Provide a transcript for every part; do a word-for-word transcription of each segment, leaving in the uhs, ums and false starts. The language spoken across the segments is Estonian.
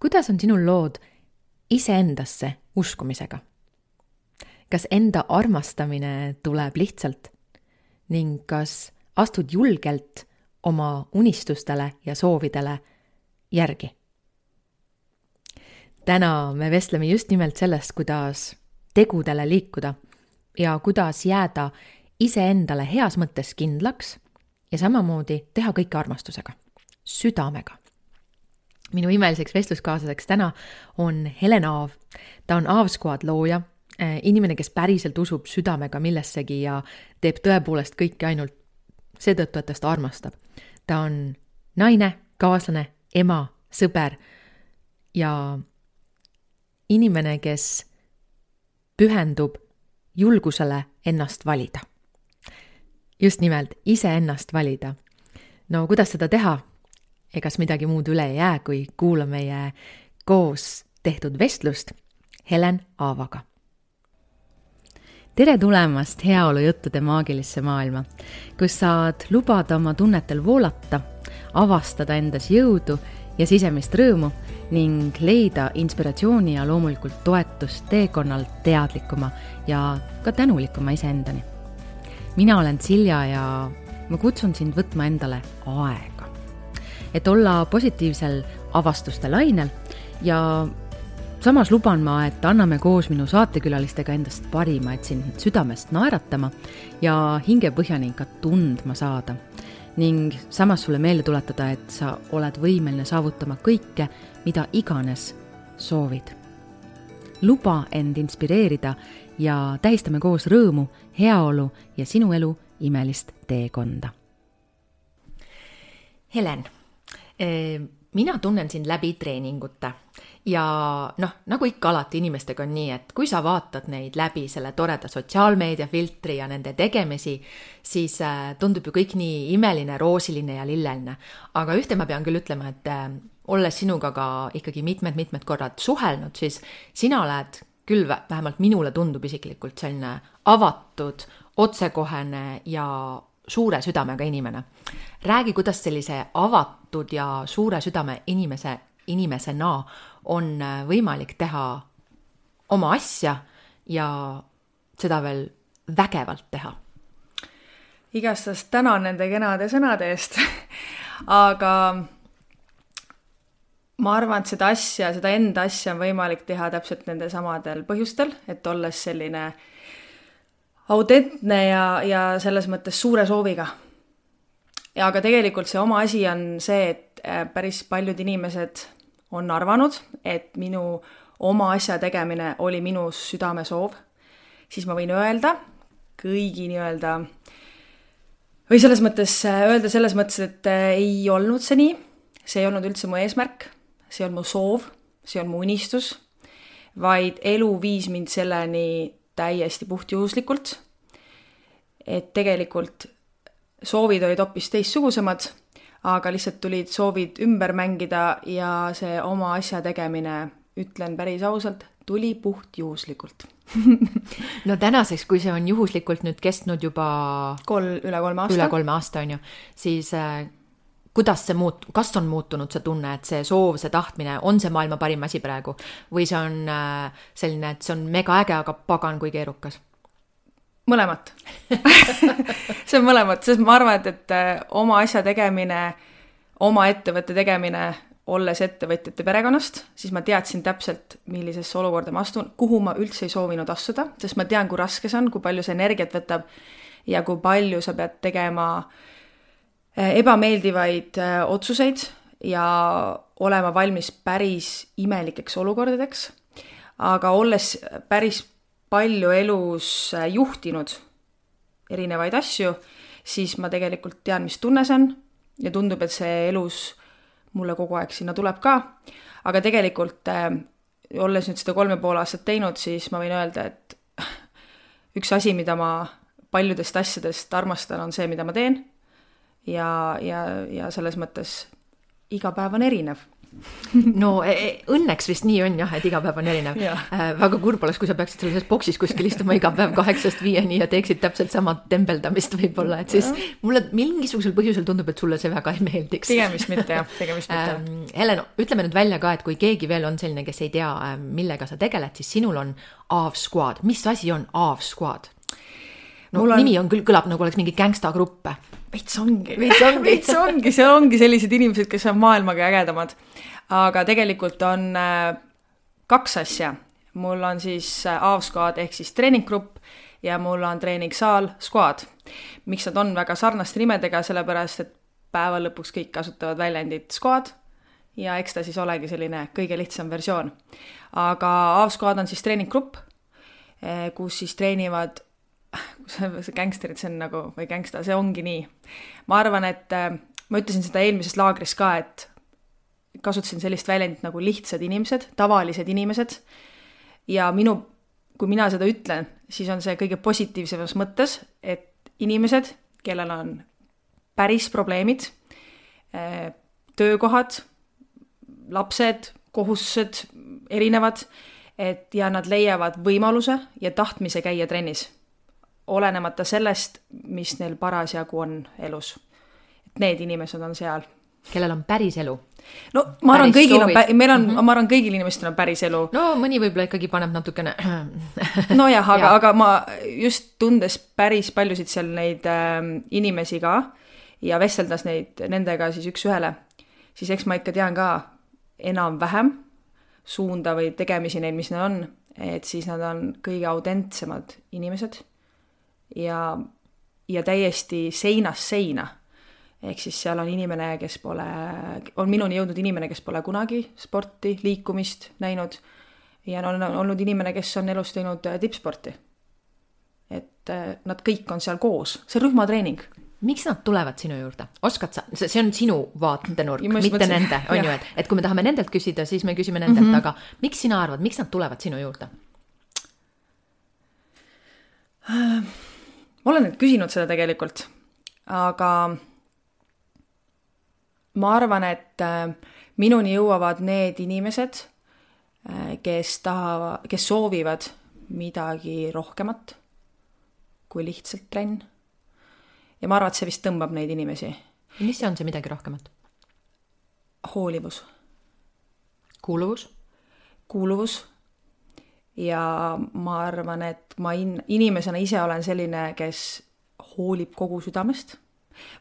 kuidas on sinul lood iseendasse uskumisega? Kas enda armastamine tuleb lihtsalt ning kas astud julgelt oma unistustele ja soovidele järgi? Täna me vestleme just nimelt sellest, kuidas tegudele liikuda ja kuidas jääda iseendale heas mõttes kindlaks ja samamoodi teha kõike armastusega, südamega. Minu imeliseks vestluskaaslaseks täna on Helen Aav. Ta on Aav Squad looja, inimene, kes päriselt usub südamega millessegi ja teeb tõepoolest kõike ainult seetõttu, et ta seda armastab. Ta on naine, kaaslane, ema, sõber ja inimene, kes pühendub julgusele ennast valida. Just nimelt ise ennast valida. No kuidas seda teha? Egas midagi muud üle ei jää, kui kuula meie koos tehtud vestlust Helen Aavaga. Tere tulemast heaolu juttude maagilisse maailma, kus saad lubada oma tunnetel voolata, avastada endas jõudu ja sisemist rõõmu ning leida inspiratsiooni ja loomulikult toetust teekonnal teadlikuma ja ka tänulikuma iseendani. Mina olen Silja ja ma kutsun sind võtma endale aega, et olla positiivsel avastuste lainel ja samas luban ma, et anname koos minu saatekülalistega endast parima, et sind südamest naeratama ja hingepõhjani ka tundma saada. Ning samas sulle meelde tuletada, et sa oled võimeline saavutama kõike, mida iganes soovid. Luba end inspireerida ja tähistame koos rõõmu, heaolu ja sinu elu imelist teekonda. Helen, mina tunnen sind läbi treeningute ja noh, nagu ikka alati inimestega on nii, et kui sa vaatad neid läbi selle toreda sotsiaalmeedia filtri ja nende tegemisi, siis tundub ju kõik nii imeline, roosiline ja lilleline. Aga ühte ma pean küll ütlema, et olles sinuga ka ikkagi mitmed-mitmed korrad suhelnud, siis sina oled küll vähemalt minule tundub isiklikult selline avatud, otsekohene ja suure südamega inimene. Räägi, kuidas sellise avatud ja suure südame inimese, inimesena on võimalik teha oma asja ja seda veel vägevalt teha. Igastast tänan nende kenade sõnade eest, aga ma arvan, et seda asja, seda enda asja on võimalik teha täpselt nende samadel põhjustel, et olles selline autentne ja, ja selles mõttes suure sooviga. Ja aga tegelikult see oma asi on see, et päris paljud inimesed on arvanud, et minu oma asja tegemine oli minu südame soov, siis ma võin öelda kõigi nii-öelda, või selles mõttes öelda selles mõttes, et ei olnud see nii, see ei olnud üldse mu eesmärk, see on mu soov, see on mu unistus, vaid elu viis mind selleni täiesti puhtjuhuslikult, et tegelikult soovid olid hoopis teistsugusemad, aga lihtsalt tulid soovid ümber mängida ja see oma asja tegemine, ütlen päris ausalt, tuli puhtjuhuslikult. No tänaseks, kui see on juhuslikult nüüd kestnud juba Kol, üle kolme aasta, üle kolme aasta on ju, siis äh, kuidas see muut, kas on muutunud see tunne, et see soov, see tahtmine, on see maailma parim asi praegu või see on äh, selline, et see on mega äge, aga pagan kui keerukas? Mõlemat. See on mõlemat, sest ma arvan, et, et oma asja tegemine, oma ettevõtte tegemine, olles ettevõtjate perekonnast, siis ma teadsin täpselt, millisesse olukorda ma astun, kuhu ma üldse ei soovinud astuda, sest ma tean, kui raske see on, kui palju see energiat võtab ja kui palju sa pead tegema ebameeldivaid otsuseid ja olema valmis päris imelikeks olukordadeks. Aga olles päris palju elus juhtinud erinevaid asju, siis ma tegelikult tean, mis tunne see on ja tundub, et see elus mulle kogu aeg sinna tuleb ka. Aga tegelikult, olles nüüd seda kolme pool aastat teinud, siis ma võin öelda, et üks asi, mida ma paljudest asjadest armastan, on see, mida ma teen. Ja, ja, ja selles mõttes iga päev on erinev. no õnneks vist nii on jah, et iga päev on erinev. Äh, väga kurb oleks, kui sa peaksid selles boksis kuskil istuma iga päev kaheksast viieni ja teeksid täpselt sama tembeldamist võib-olla, et siis ja. Mulle mingisugusel põhjusel tundub, et sulle see väga ei meeldiks. Tegemist mitte jah, tegemist mitte. Ähm, Helen, ütleme nüüd välja ka, et kui keegi veel on selline, kes ei tea, millega sa tegeled, siis sinul on A V Squad. Mis asi on A V Squad? No on... nimi on küll, kõlab nagu oleks mingi gangsta gruppe. Veits ongi. Veits ongi. Veits ongi, see ongi sellised inimesed, kes on maailmaga ägedamad. Aga tegelikult on äh, kaks asja. Mul on siis A V Squad ehk siis treeninggrupp ja mul on treeningsaal Squad. Miks nad on väga sarnaste nimedega, sellepärast, et päeva lõpuks kõik kasutavad väljendit Squad ja eks ta siis olegi selline kõige lihtsam versioon. Aga A V Squad on siis treeninggrupp, kus siis treenivad see gangsterid, see on nagu, või gangsta, see ongi nii. Ma arvan, et ma ütlesin seda eelmises laagris ka, et kasutasin sellist väljendit nagu lihtsad inimesed, tavalised inimesed ja minu, kui mina seda ütlen, siis on see kõige positiivsemas mõttes, et inimesed, kellel on päris probleemid, töökohad, lapsed, kohustused, erinevad, et ja nad leiavad võimaluse ja tahtmise käia trennis. Olenemata sellest, mis neil parasjagu on elus. Et need inimesed on seal. Kellel on päris elu? No ma arvan, kõigil on, meil on, mm-hmm. ma arvan, kõigil inimestel on päris elu. No mõni võib-olla ikkagi paneb natukene... no jah, aga, ja. aga ma just tundes päris paljusid seal neid äh, inimesi ka ja vesteldas neid nendega siis üks ühele, siis eks ma ikka tean ka enam-vähem suunda või tegemisi neil, mis neil on, et siis nad on kõige autentsemad inimesed ja, ja täiesti seinast seina. Ehk siis seal on inimene, kes pole, on minuni jõudnud inimene, kes pole kunagi sporti, liikumist näinud ja on olnud inimene, kes on elus teinud tippsporti. Et nad kõik on seal koos, see rühmatreening. Miks nad tulevad sinu juurde? Oskad sa, see on sinu vaatenurk, mitte mõtlesin, nende, on ju, et, et kui me tahame nendelt küsida, siis me küsime nendelt, mm-hmm. aga miks sina arvad, miks nad tulevad sinu juurde? Ma olen nüüd küsinud seda tegelikult, aga ma arvan, et minuni jõuavad need inimesed, kes tahavad, kes soovivad midagi rohkemat kui lihtsalt trenn. Ja ma arvan, et see vist tõmbab neid inimesi. Mis see on see midagi rohkemat? Hoolivus. Kuuluvus? Kuuluvus. Ja ma arvan, et ma in- inimesena ise olen selline, kes hoolib kogu südamest.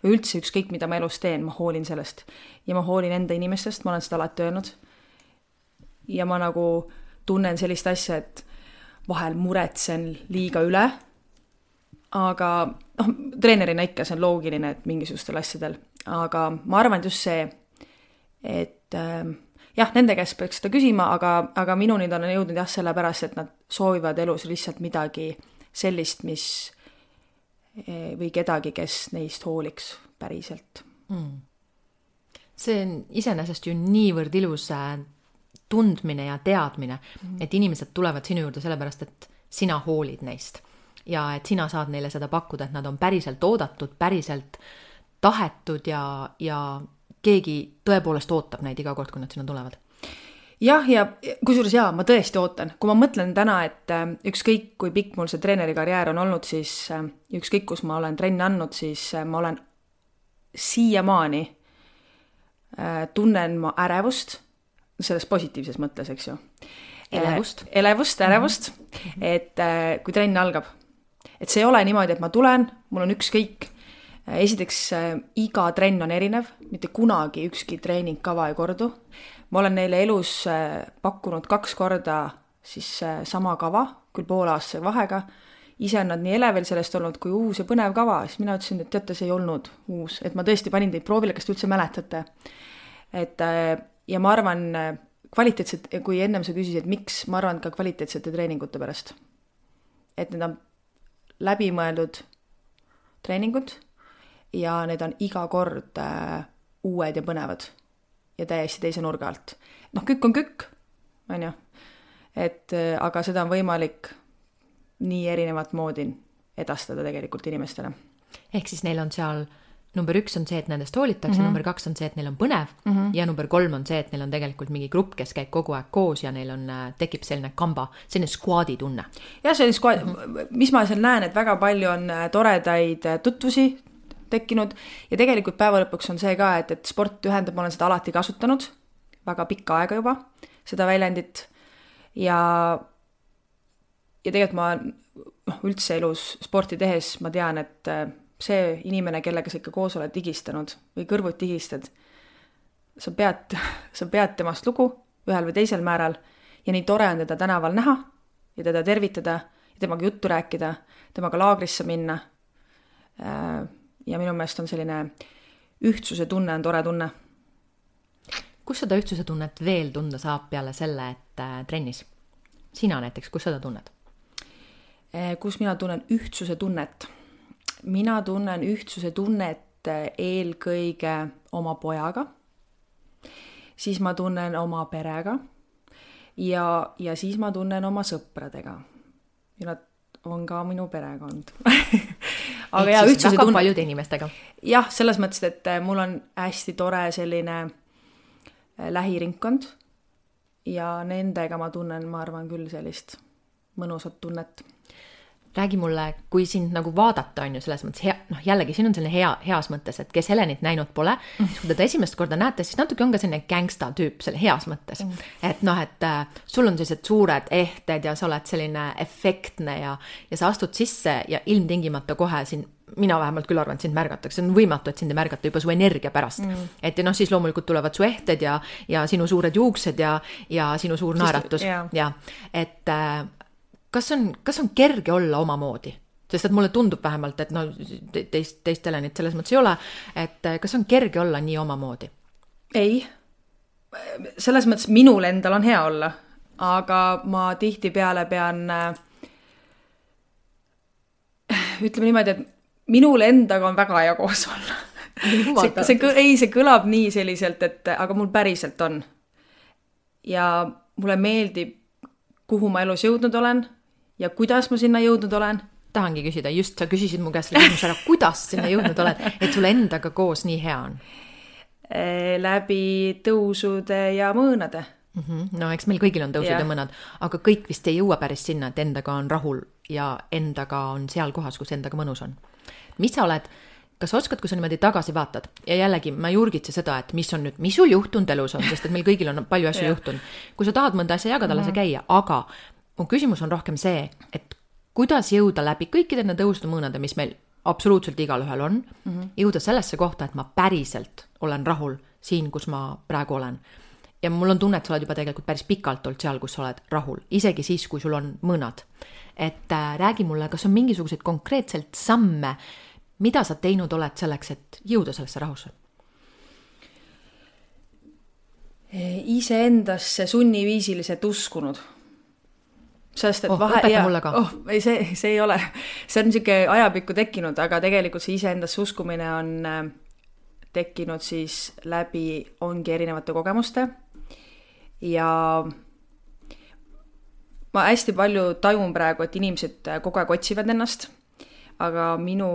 Või üldse ükskõik, mida ma elus teen, ma hoolin sellest. Ja ma hoolin enda inimestest, ma olen seda alati öelnud. Ja ma nagu tunnen sellist asja, et vahel muretsen liiga üle, aga noh, treenerina ikka see on loogiline, et mingisugustel asjadel. Aga ma arvan, et just see, et äh, jah, nende käest peaks seda küsima, aga, aga minuni ta on jõudnud jah sellepärast, et nad soovivad elus lihtsalt midagi sellist, mis või kedagi, kes neist hooliks päriselt. Mm. See on iseenesest ju niivõrd ilus tundmine ja teadmine, mm. et inimesed tulevad sinu juurde sellepärast, et sina hoolid neist ja et sina saad neile seda pakkuda, et nad on päriselt oodatud, päriselt tahetud ja, ja keegi tõepoolest ootab neid iga kord, kui nad sinna tulevad. Jah, ja kusjuures jaa, ma tõesti ootan. Kui ma mõtlen täna, et ükskõik kui pikk mul see treeneri karjäär on olnud, siis ükskõik kus ma olen trenni andnud, siis ma olen siiamaani tunnen ma ärevust, selles positiivses mõttes, eks ju. Elevust. Elevust, ärevust, mm-hmm. et kui trenn algab. Et see ei ole niimoodi, et ma tulen, mul on ükskõik. Esiteks, iga trenn on erinev, mitte kunagi ükski treeningkava ei kordu. Ma olen neile elus pakkunud kaks korda siis sama kava, küll poole aastase vahega. Ise on nad nii elevil sellest olnud kui uus ja põnev kava. Siis mina ütlesin, et teate, see ei olnud uus. Et ma tõesti panin teid proovile, kas te üldse mäletate. Et, ja ma arvan, kvaliteetset, kui ennem sa küsisid, et miks, ma arvan ka kvaliteetsete treeningute pärast. Et need on läbimõeldud treeningud ja need on iga kord uued ja põnevad. Ja täiesti teise nurga alt. Noh, kükk on kükk, on ju. Et, aga seda on võimalik nii erinevat moodi edastada tegelikult inimestele. Ehk siis neil on seal number üks on see, et nendest hoolitakse, mm-hmm. number kaks on see, et neil on põnev mm-hmm. ja number kolm on see, et neil on tegelikult mingi grupp, kes käib kogu aeg koos ja neil on, tekib selline kamba, selline squadi tunne. Jah, selline squad, mm-hmm. mis ma seal näen, et väga palju on toredaid tutvusi tekkinud ja tegelikult päeva lõpuks on see ka, et, et sport ühendab, ma olen seda alati kasutanud, väga pikka aega juba, seda väljendit ja, ja tegelikult ma noh, üldse elus sporti tehes ma tean, et see inimene, kellega sa ikka koos oled digistanud või kõrvut digistad, sa pead, sa pead temast lugu ühel või teisel määral ja nii tore on teda tänaval näha ja teda tervitada ja temaga juttu rääkida, temaga laagrisse minna ja minu meelest on selline ühtsuse tunne on tore tunne. Kus seda ühtsuse tunnet veel tunda saab peale selle, et trennis? Sina näiteks, kus seda tunned? Kus mina tunnen ühtsuse tunnet? Mina tunnen ühtsuse tunnet eelkõige oma pojaga, siis ma tunnen oma perega ja, ja siis ma tunnen oma sõpradega. Ja nad on ka minu perekond. Aga ja, ühtsuse väga tunnet. Paljude inimestega. Jah, selles mõttes, et mul on hästi tore selline lähiringkond ja nendega ma tunnen, ma arvan küll sellist mõnusat tunnet. Räägi mulle, kui sind nagu vaadata on ju selles mõttes, hea, noh jällegi siin on selline hea, heas mõttes, et kes Helenit näinud pole, mm. kui teda esimest korda näete, siis natuke on ka selline gangsta tüüp selle heas mõttes. Mm. Et noh, et äh, sul on sellised suured ehted ja sa oled selline efektne ja, ja sa astud sisse ja ilmtingimata kohe siin, mina vähemalt küll arvan, et sind märgatakse, on võimatu, et sind ei märgata juba su energia pärast. Mm. Et ja noh, siis loomulikult tulevad su ehted ja, ja sinu suured juuksed ja, ja sinu suur naeratus. Yeah. Ja, et äh, Kas on, kas on kerge olla omamoodi? Sest et mulle tundub vähemalt, et no, teist, teist Helenit selles mõttes ei ole, et kas on kerge olla nii omamoodi? Ei. Selles mõttes minul endal on hea olla, aga ma tihti peale pean ütleme niimoodi, et minul endaga on väga hea koos olla. see, see, ei, see kõlab nii selliselt, et aga mul päriselt on. Ja mulle meeldib, kuhu ma elus jõudnud olen ja kuidas ma sinna jõudnud olen. Tahangi küsida, just sa küsisid mu käest selle küsimus ära, kuidas sinna jõudnud oled, et sulle endaga koos nii hea on? Läbi tõusude ja mõõnade. Mm-hmm. No eks meil kõigil on tõusud ja. ja mõnad, aga kõik vist ei jõua päris sinna, et endaga on rahul ja endaga on seal kohas, kus endaga mõnus on. Mis sa oled, kas oskad, kui sa niimoodi tagasi vaatad ja jällegi ma ei urgitse seda, et mis on nüüd, mis sul juhtunud elus on, sest et meil kõigil on palju asju juhtunud. Kui sa tahad mõnda asja jagada, lase käia, aga mu küsimus on rohkem see, et kuidas jõuda läbi kõikide need tõusude mõõnade, mis meil absoluutselt igal ühel on, mm-hmm. jõuda sellesse kohta, et ma päriselt olen rahul siin, kus ma praegu olen. Ja mul on tunne, et sa oled juba tegelikult päris pikalt olnud seal, kus sa oled rahul, isegi siis, kui sul on mõõnad. Et äh, räägi mulle, kas on mingisuguseid konkreetselt samme, mida sa teinud oled selleks, et jõuda sellesse rahusse? Iseendasse sunniviisiliselt uskunud. Sest, et oh, vahe, õpeta ja, mulle ka. Oh, ei, see, see ei ole. See on niisugune ajapikku tekkinud, aga tegelikult see iseendasse uskumine on tekkinud siis läbi ongi erinevate kogemuste. Ja ma hästi palju tajun praegu, et inimesed kogu aeg otsivad ennast, aga minu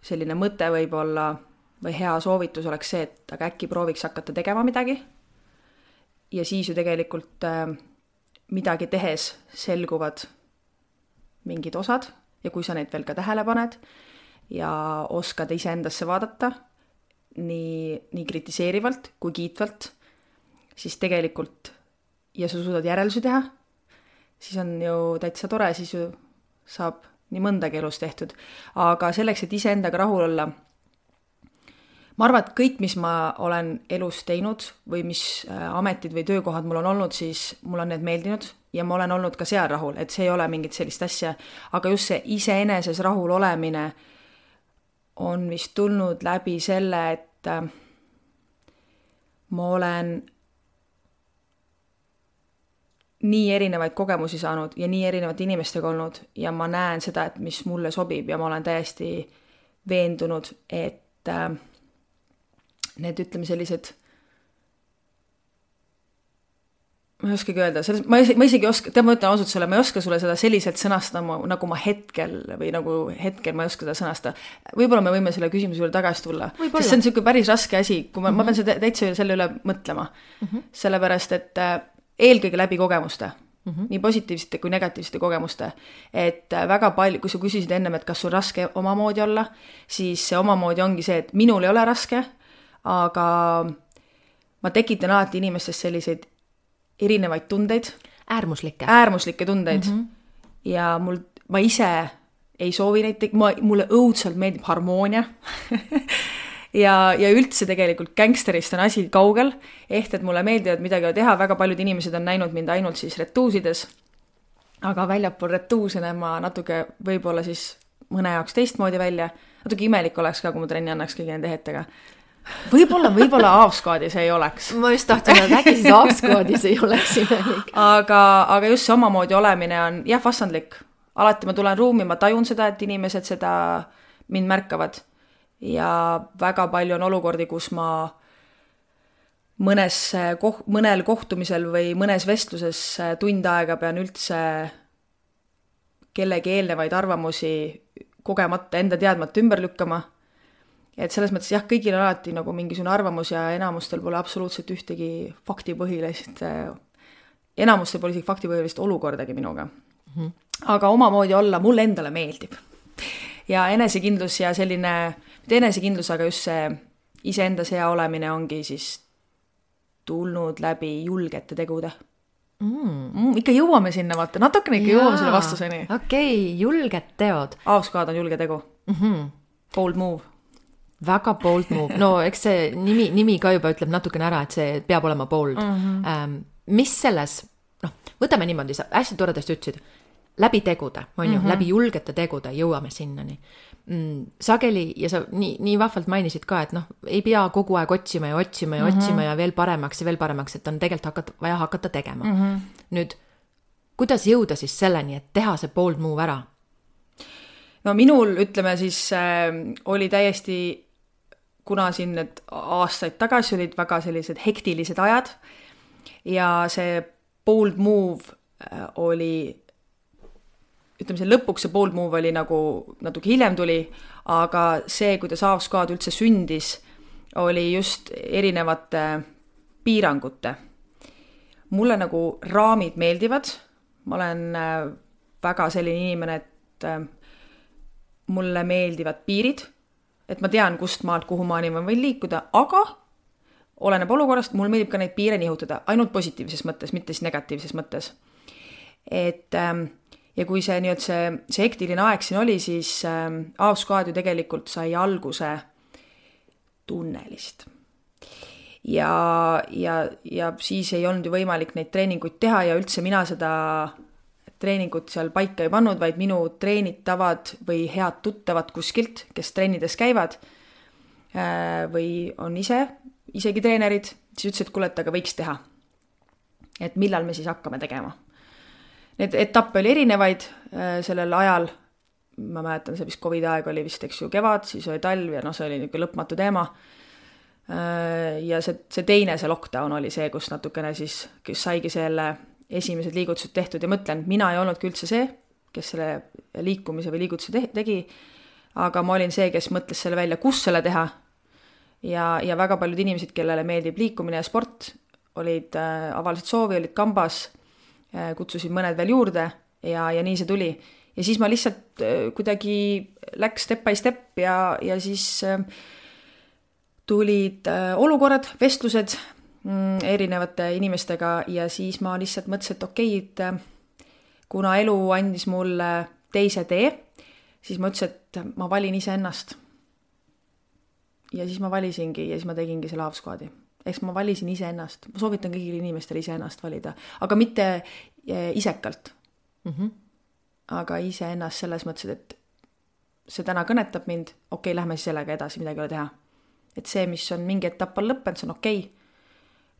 selline mõte võib olla või hea soovitus oleks see, et aga äkki prooviks hakata tegema midagi. Ja siis ju tegelikult midagi tehes selguvad mingid osad ja kui sa neid veel ka tähele paned ja oskad iseendasse vaadata nii, nii kritiseerivalt kui kiitvalt, siis tegelikult ja sa suudad järeldusi teha, siis on ju täitsa tore, siis ju saab nii mõndagi elus tehtud. Aga selleks, et iseendaga rahul olla, ma arvan, et kõik, mis ma olen elus teinud või mis ametid või töökohad mul on olnud, siis mul on need meeldinud ja ma olen olnud ka seal rahul, et see ei ole mingit sellist asja. Aga just see iseeneses rahul olemine on vist tulnud läbi selle, et ma olen nii erinevaid kogemusi saanud ja nii erinevate inimestega olnud ja ma näen seda, et mis mulle sobib ja ma olen täiesti veendunud, et need, ütleme, sellised ma ei oskagi öelda, selles, ma, ma isegi oska, tead, ma ütlen ausalt sulle, ma ei oska sulle seda selliselt sõnastada, nagu ma hetkel või nagu hetkel ma ei oska seda sõnastada. Võib-olla me võime selle küsimuse üle tagasi tulla, sest see on niisugune päris raske asi, kui ma, mm-hmm. ma pean seda täitsa selle üle mõtlema. Mm-hmm. Sellepärast, et eelkõige läbi kogemuste, mm-hmm. nii positiivsete kui negatiivsete kogemuste, et väga palju, kui sa küsisid ennem, et kas sul raske omamoodi olla, siis see omamoodi ongi see, et minul ei ole raske, aga ma tekitan alati inimestest selliseid erinevaid tundeid. Äärmuslikke. Äärmuslikke tundeid. Mm-hmm. Ja mul, ma ise ei soovi neid, ma, mulle õudselt meeldib harmoonia. ja, ja üldse tegelikult gangsterist on asi kaugel, ehk et mulle meeldivad midagi teha, väga paljud inimesed on näinud mind ainult siis retuusides, aga väljapool retuusene ma natuke võib-olla siis mõne jaoks teistmoodi välja, natuke imelik oleks ka, kui ma trenni annaks kõigi nende hetega. Võib-olla, võib-olla Aavskaadis ei oleks. Ma just tahtsin, et äkki siis Aavskaadis ei oleks imelik. Aga, aga just see omamoodi olemine on jah, vastandlik. Alati ma tulen ruumi, ma tajun seda, et inimesed seda mind märkavad. Ja väga palju on olukordi, kus ma mõnes, koh, mõnel kohtumisel või mõnes vestluses tund aega pean üldse kellegi eelnevaid arvamusi kogemata, enda teadmata ümber lükkama. Et selles mõttes jah, kõigil on alati nagu mingisugune arvamus ja enamustel pole absoluutselt ühtegi faktipõhilist, enamustel pole isegi faktipõhilist olukordagi minuga. Mm-hmm. Aga omamoodi olla mulle endale meeldib. Ja enesekindlus ja selline, mitte enesekindlus, aga just see iseendas hea olemine ongi siis tulnud läbi julgete tegude. Mm. Mm, ikka jõuame sinna, vaata, natukene ikka Jaa, jõuame selle vastuseni. Okei, okay, julged teod. Aavskaad on julge tegu. Mm-hmm. Bold move. Väga bold move. No eks see nimi, nimi ka juba ütleb natukene ära, et see peab olema bold. Mm-hmm. Ähm, mis selles, noh, võtame niimoodi, sa hästi toredasti ütlesid, läbi tegude, on ju, mm-hmm. läbi julgete tegude jõuame sinnani. Mm, sageli, ja sa nii, nii vahvalt mainisid ka, et noh, ei pea kogu aeg otsima ja otsima ja mm-hmm. otsima ja veel paremaks ja veel paremaks, et on tegelikult hakata, vaja hakata tegema. Mm-hmm. Nüüd, kuidas jõuda siis selleni, et teha see bold move ära? No minul, ütleme siis, äh, oli täiesti kuna siin need aastaid tagasi olid väga sellised hektilised ajad ja see bold move oli, ütleme see lõpuks see bold move oli nagu natuke hiljem tuli, aga see, kuidas Aavskaad üldse sündis, oli just erinevate piirangute. Mulle nagu raamid meeldivad, ma olen väga selline inimene, et mulle meeldivad piirid, et ma tean, kust maalt, kuhu maani ma võin liikuda, aga oleneb olukorrast, mul meeldib ka neid piire nihutada, ainult positiivses mõttes, mitte siis negatiivses mõttes. Et, ja kui see, nii, see, see hektiline aeg siin oli, siis Aavskaad ju tegelikult sai alguse tunnelist. Ja, ja, ja siis ei olnud ju võimalik neid treeninguid teha ja üldse mina seda treeningut seal paika ei pannud, vaid minu treenitavad või head tuttavad kuskilt, kes trennides käivad või on ise, isegi treenerid, siis ütlesid, et kuule, et aga võiks teha. Et millal me siis hakkame tegema. Need etappe oli erinevaid sellel ajal, ma mäletan, see vist COVID aeg oli vist, eks ju, kevad, siis oli talv ja no see oli niisugune lõpmatu teema. Ja see, see teine, see lockdown oli see, kus natukene siis, kes saigi selle esimesed liigutused tehtud ja mõtlen, mina ei olnudki üldse see, kes selle liikumise või liigutuse te- tegi, aga ma olin see, kes mõtles selle välja, kus selle teha ja, ja väga paljud inimesed, kellele meeldib liikumine ja sport, olid äh, avaliselt soovi, olid kambas, äh, kutsusid mõned veel juurde ja, ja nii see tuli. Ja siis ma lihtsalt äh, kuidagi läks step by step ja, ja siis äh, tulid äh, olukorrad, vestlused, erinevate inimestega ja siis ma lihtsalt mõtlesin, et okei, et kuna elu andis mulle teise tee, siis ma ütlesin, et ma valin ise ennast. Ja siis ma valisingi ja siis ma tegingi selle Aavskaadi. Eks ma valisin ise ennast. Ma soovitan kõigil inimestel ise ennast valida, aga mitte isekalt. Mm-hmm. Aga ise ennast selles mõttes, et see täna kõnetab mind, okei, lähme siis sellega edasi, midagi ei ole teha. Et see, mis on mingi etapp on lõppenud, see on okei.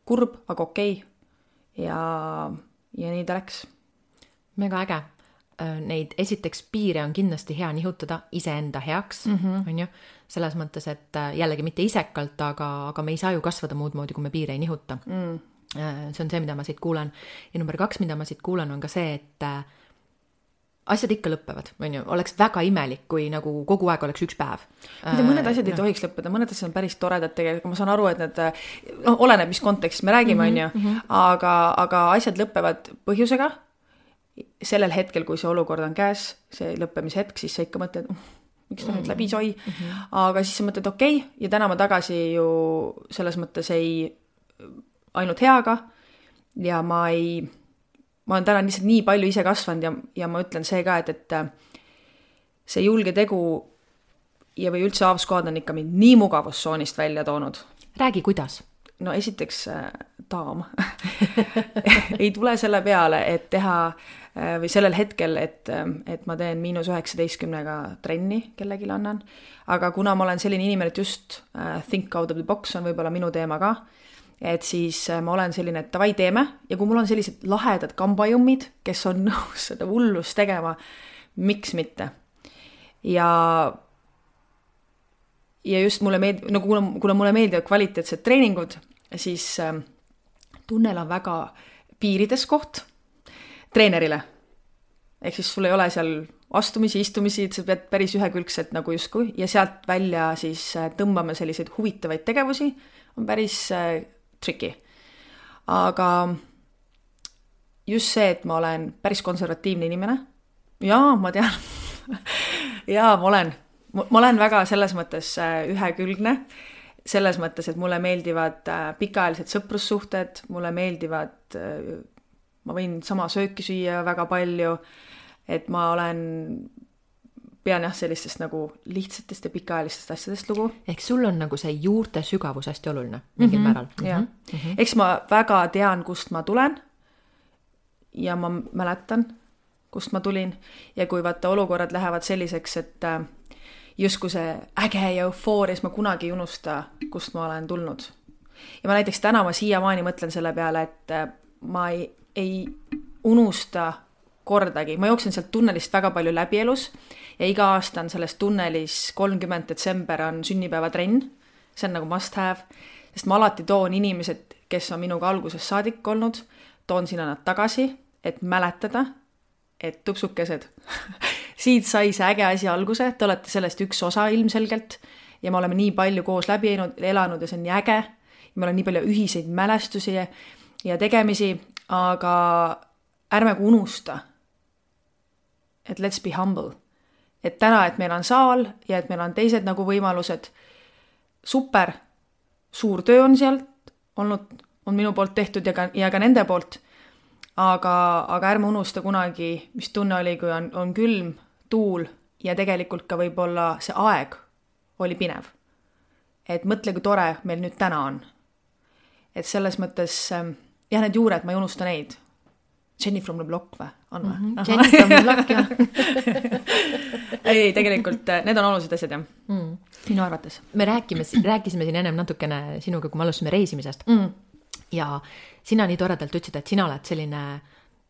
Kurb, aga okei. Ja, ja nii ta läks. Mega äge. Neid esiteks piire on kindlasti hea nihutada iseenda heaks, mm-hmm. on ju? Selles mõttes, et jällegi mitte isekalt, aga, aga me ei saa ju kasvada muud moodi, kui me piire ei nihuta. Mm. see on see, mida ma siit kuulan. Ja number kaks, mida ma siit kuulan, on ka see, et asjad ikka lõppevad, on ju, oleks väga imelik, kui nagu kogu aeg oleks üks päev. Mida mõned asjad ei no. tohiks lõppeda, mõned asjad on päris toredad tegelikult, ma saan aru, et need, no oleneb, mis kontekstis me räägime, on ju, mm-hmm. aga, aga asjad lõppevad põhjusega, sellel hetkel, kui see olukord on käes, see lõppemise hetk, siis sa ikka mõtled, miks ta nüüd läbi soi, mm-hmm. aga siis sa mõtled, okei, okay, ja täna ma tagasi ju selles mõttes ei ainult heaga ja ma ei ma olen täna lihtsalt nii palju ise kasvanud ja, ja ma ütlen see ka, et, et see julge tegu ja või üldse Avsquad on ikka mind nii mugavustsoonist välja toonud. Räägi, kuidas? No esiteks äh, daam. ei tule selle peale, et teha äh, või sellel hetkel, et, et ma teen miinus üheksateistkümnega trenni kellegile annan, aga kuna ma olen selline inimene, et just äh, think out of the box on võib-olla minu teema ka, et siis ma olen selline, et davai teeme ja kui mul on sellised lahedad kambajummid, kes on nõus seda hullust tegema, miks mitte. Ja, ja just mulle meeldib, no kuna, kuna mulle meeldivad kvaliteetsed treeningud, siis äh, tunnel on väga piirides koht treenerile. Ehk siis sul ei ole seal astumisi, istumisi, et sa pead päris ühekülgselt nagu justkui ja sealt välja siis tõmbame selliseid huvitavaid tegevusi, on päris äh, tricky. Aga just see, et ma olen päris konservatiivne inimene. Jaa, ma tean. Jaa, ma olen. Ma olen väga selles mõttes ühekülgne. Selles mõttes, et mulle meeldivad pikaajalised sõprussuhted, mulle meeldivad, ma võin sama sööki süüa väga palju, et ma olen pean jah sellistest nagu lihtsatest ja pikaajalistest asjadest lugu. Ehk sul on nagu see juurte sügavus hästi oluline mingil mm-hmm. määral. Mm-hmm. Mm-hmm. Eks ma väga tean, kust ma tulen ja ma mäletan, kust ma tulin ja kui vaata olukorrad lähevad selliseks, et justkui see äge ja eufooris ma kunagi ei unusta, kust ma olen tulnud. Ja ma näiteks täna ma siiamaani mõtlen selle peale, et ma ei, ei unusta kordagi. Ma jooksen sealt tunnelist väga palju läbi elus ja iga aasta on selles tunnelis kolmkümmend detsember on sünnipäevatrenn. See on nagu must have, sest ma alati toon inimesed, kes on minuga alguses saadik olnud, toon sinna nad tagasi, et mäletada, et tupsukesed. Siit sai see äge asi alguse, te olete sellest üks osa ilmselgelt ja me oleme nii palju koos läbi elanud ja see on nii äge. Ja meil on nii palju ühiseid mälestusi ja, ja tegemisi, aga ärme kui unusta, et let's be humble. Et täna, et meil on saal ja et meil on teised nagu võimalused. Super, suur töö on sealt olnud, on minu poolt tehtud ja ka, ja ka nende poolt. Aga, aga ärme unusta kunagi, mis tunne oli, kui on, on külm, tuul ja tegelikult ka võib-olla see aeg oli pinev. Et mõtle, kui tore meil nüüd täna on. Et selles mõttes, jah, need juured, ma ei unusta neid. Jenny from the Block või? On või? Mm-hmm. Jenny from the Block, jah. ei, tegelikult need on olulised asjad, jah. Mm. Minu arvates. Me rääkime, rääkisime siin ennem natukene sinuga, kui me alustasime reisimisest. Mm. Ja sina nii toredalt ütlesid, et sina oled selline,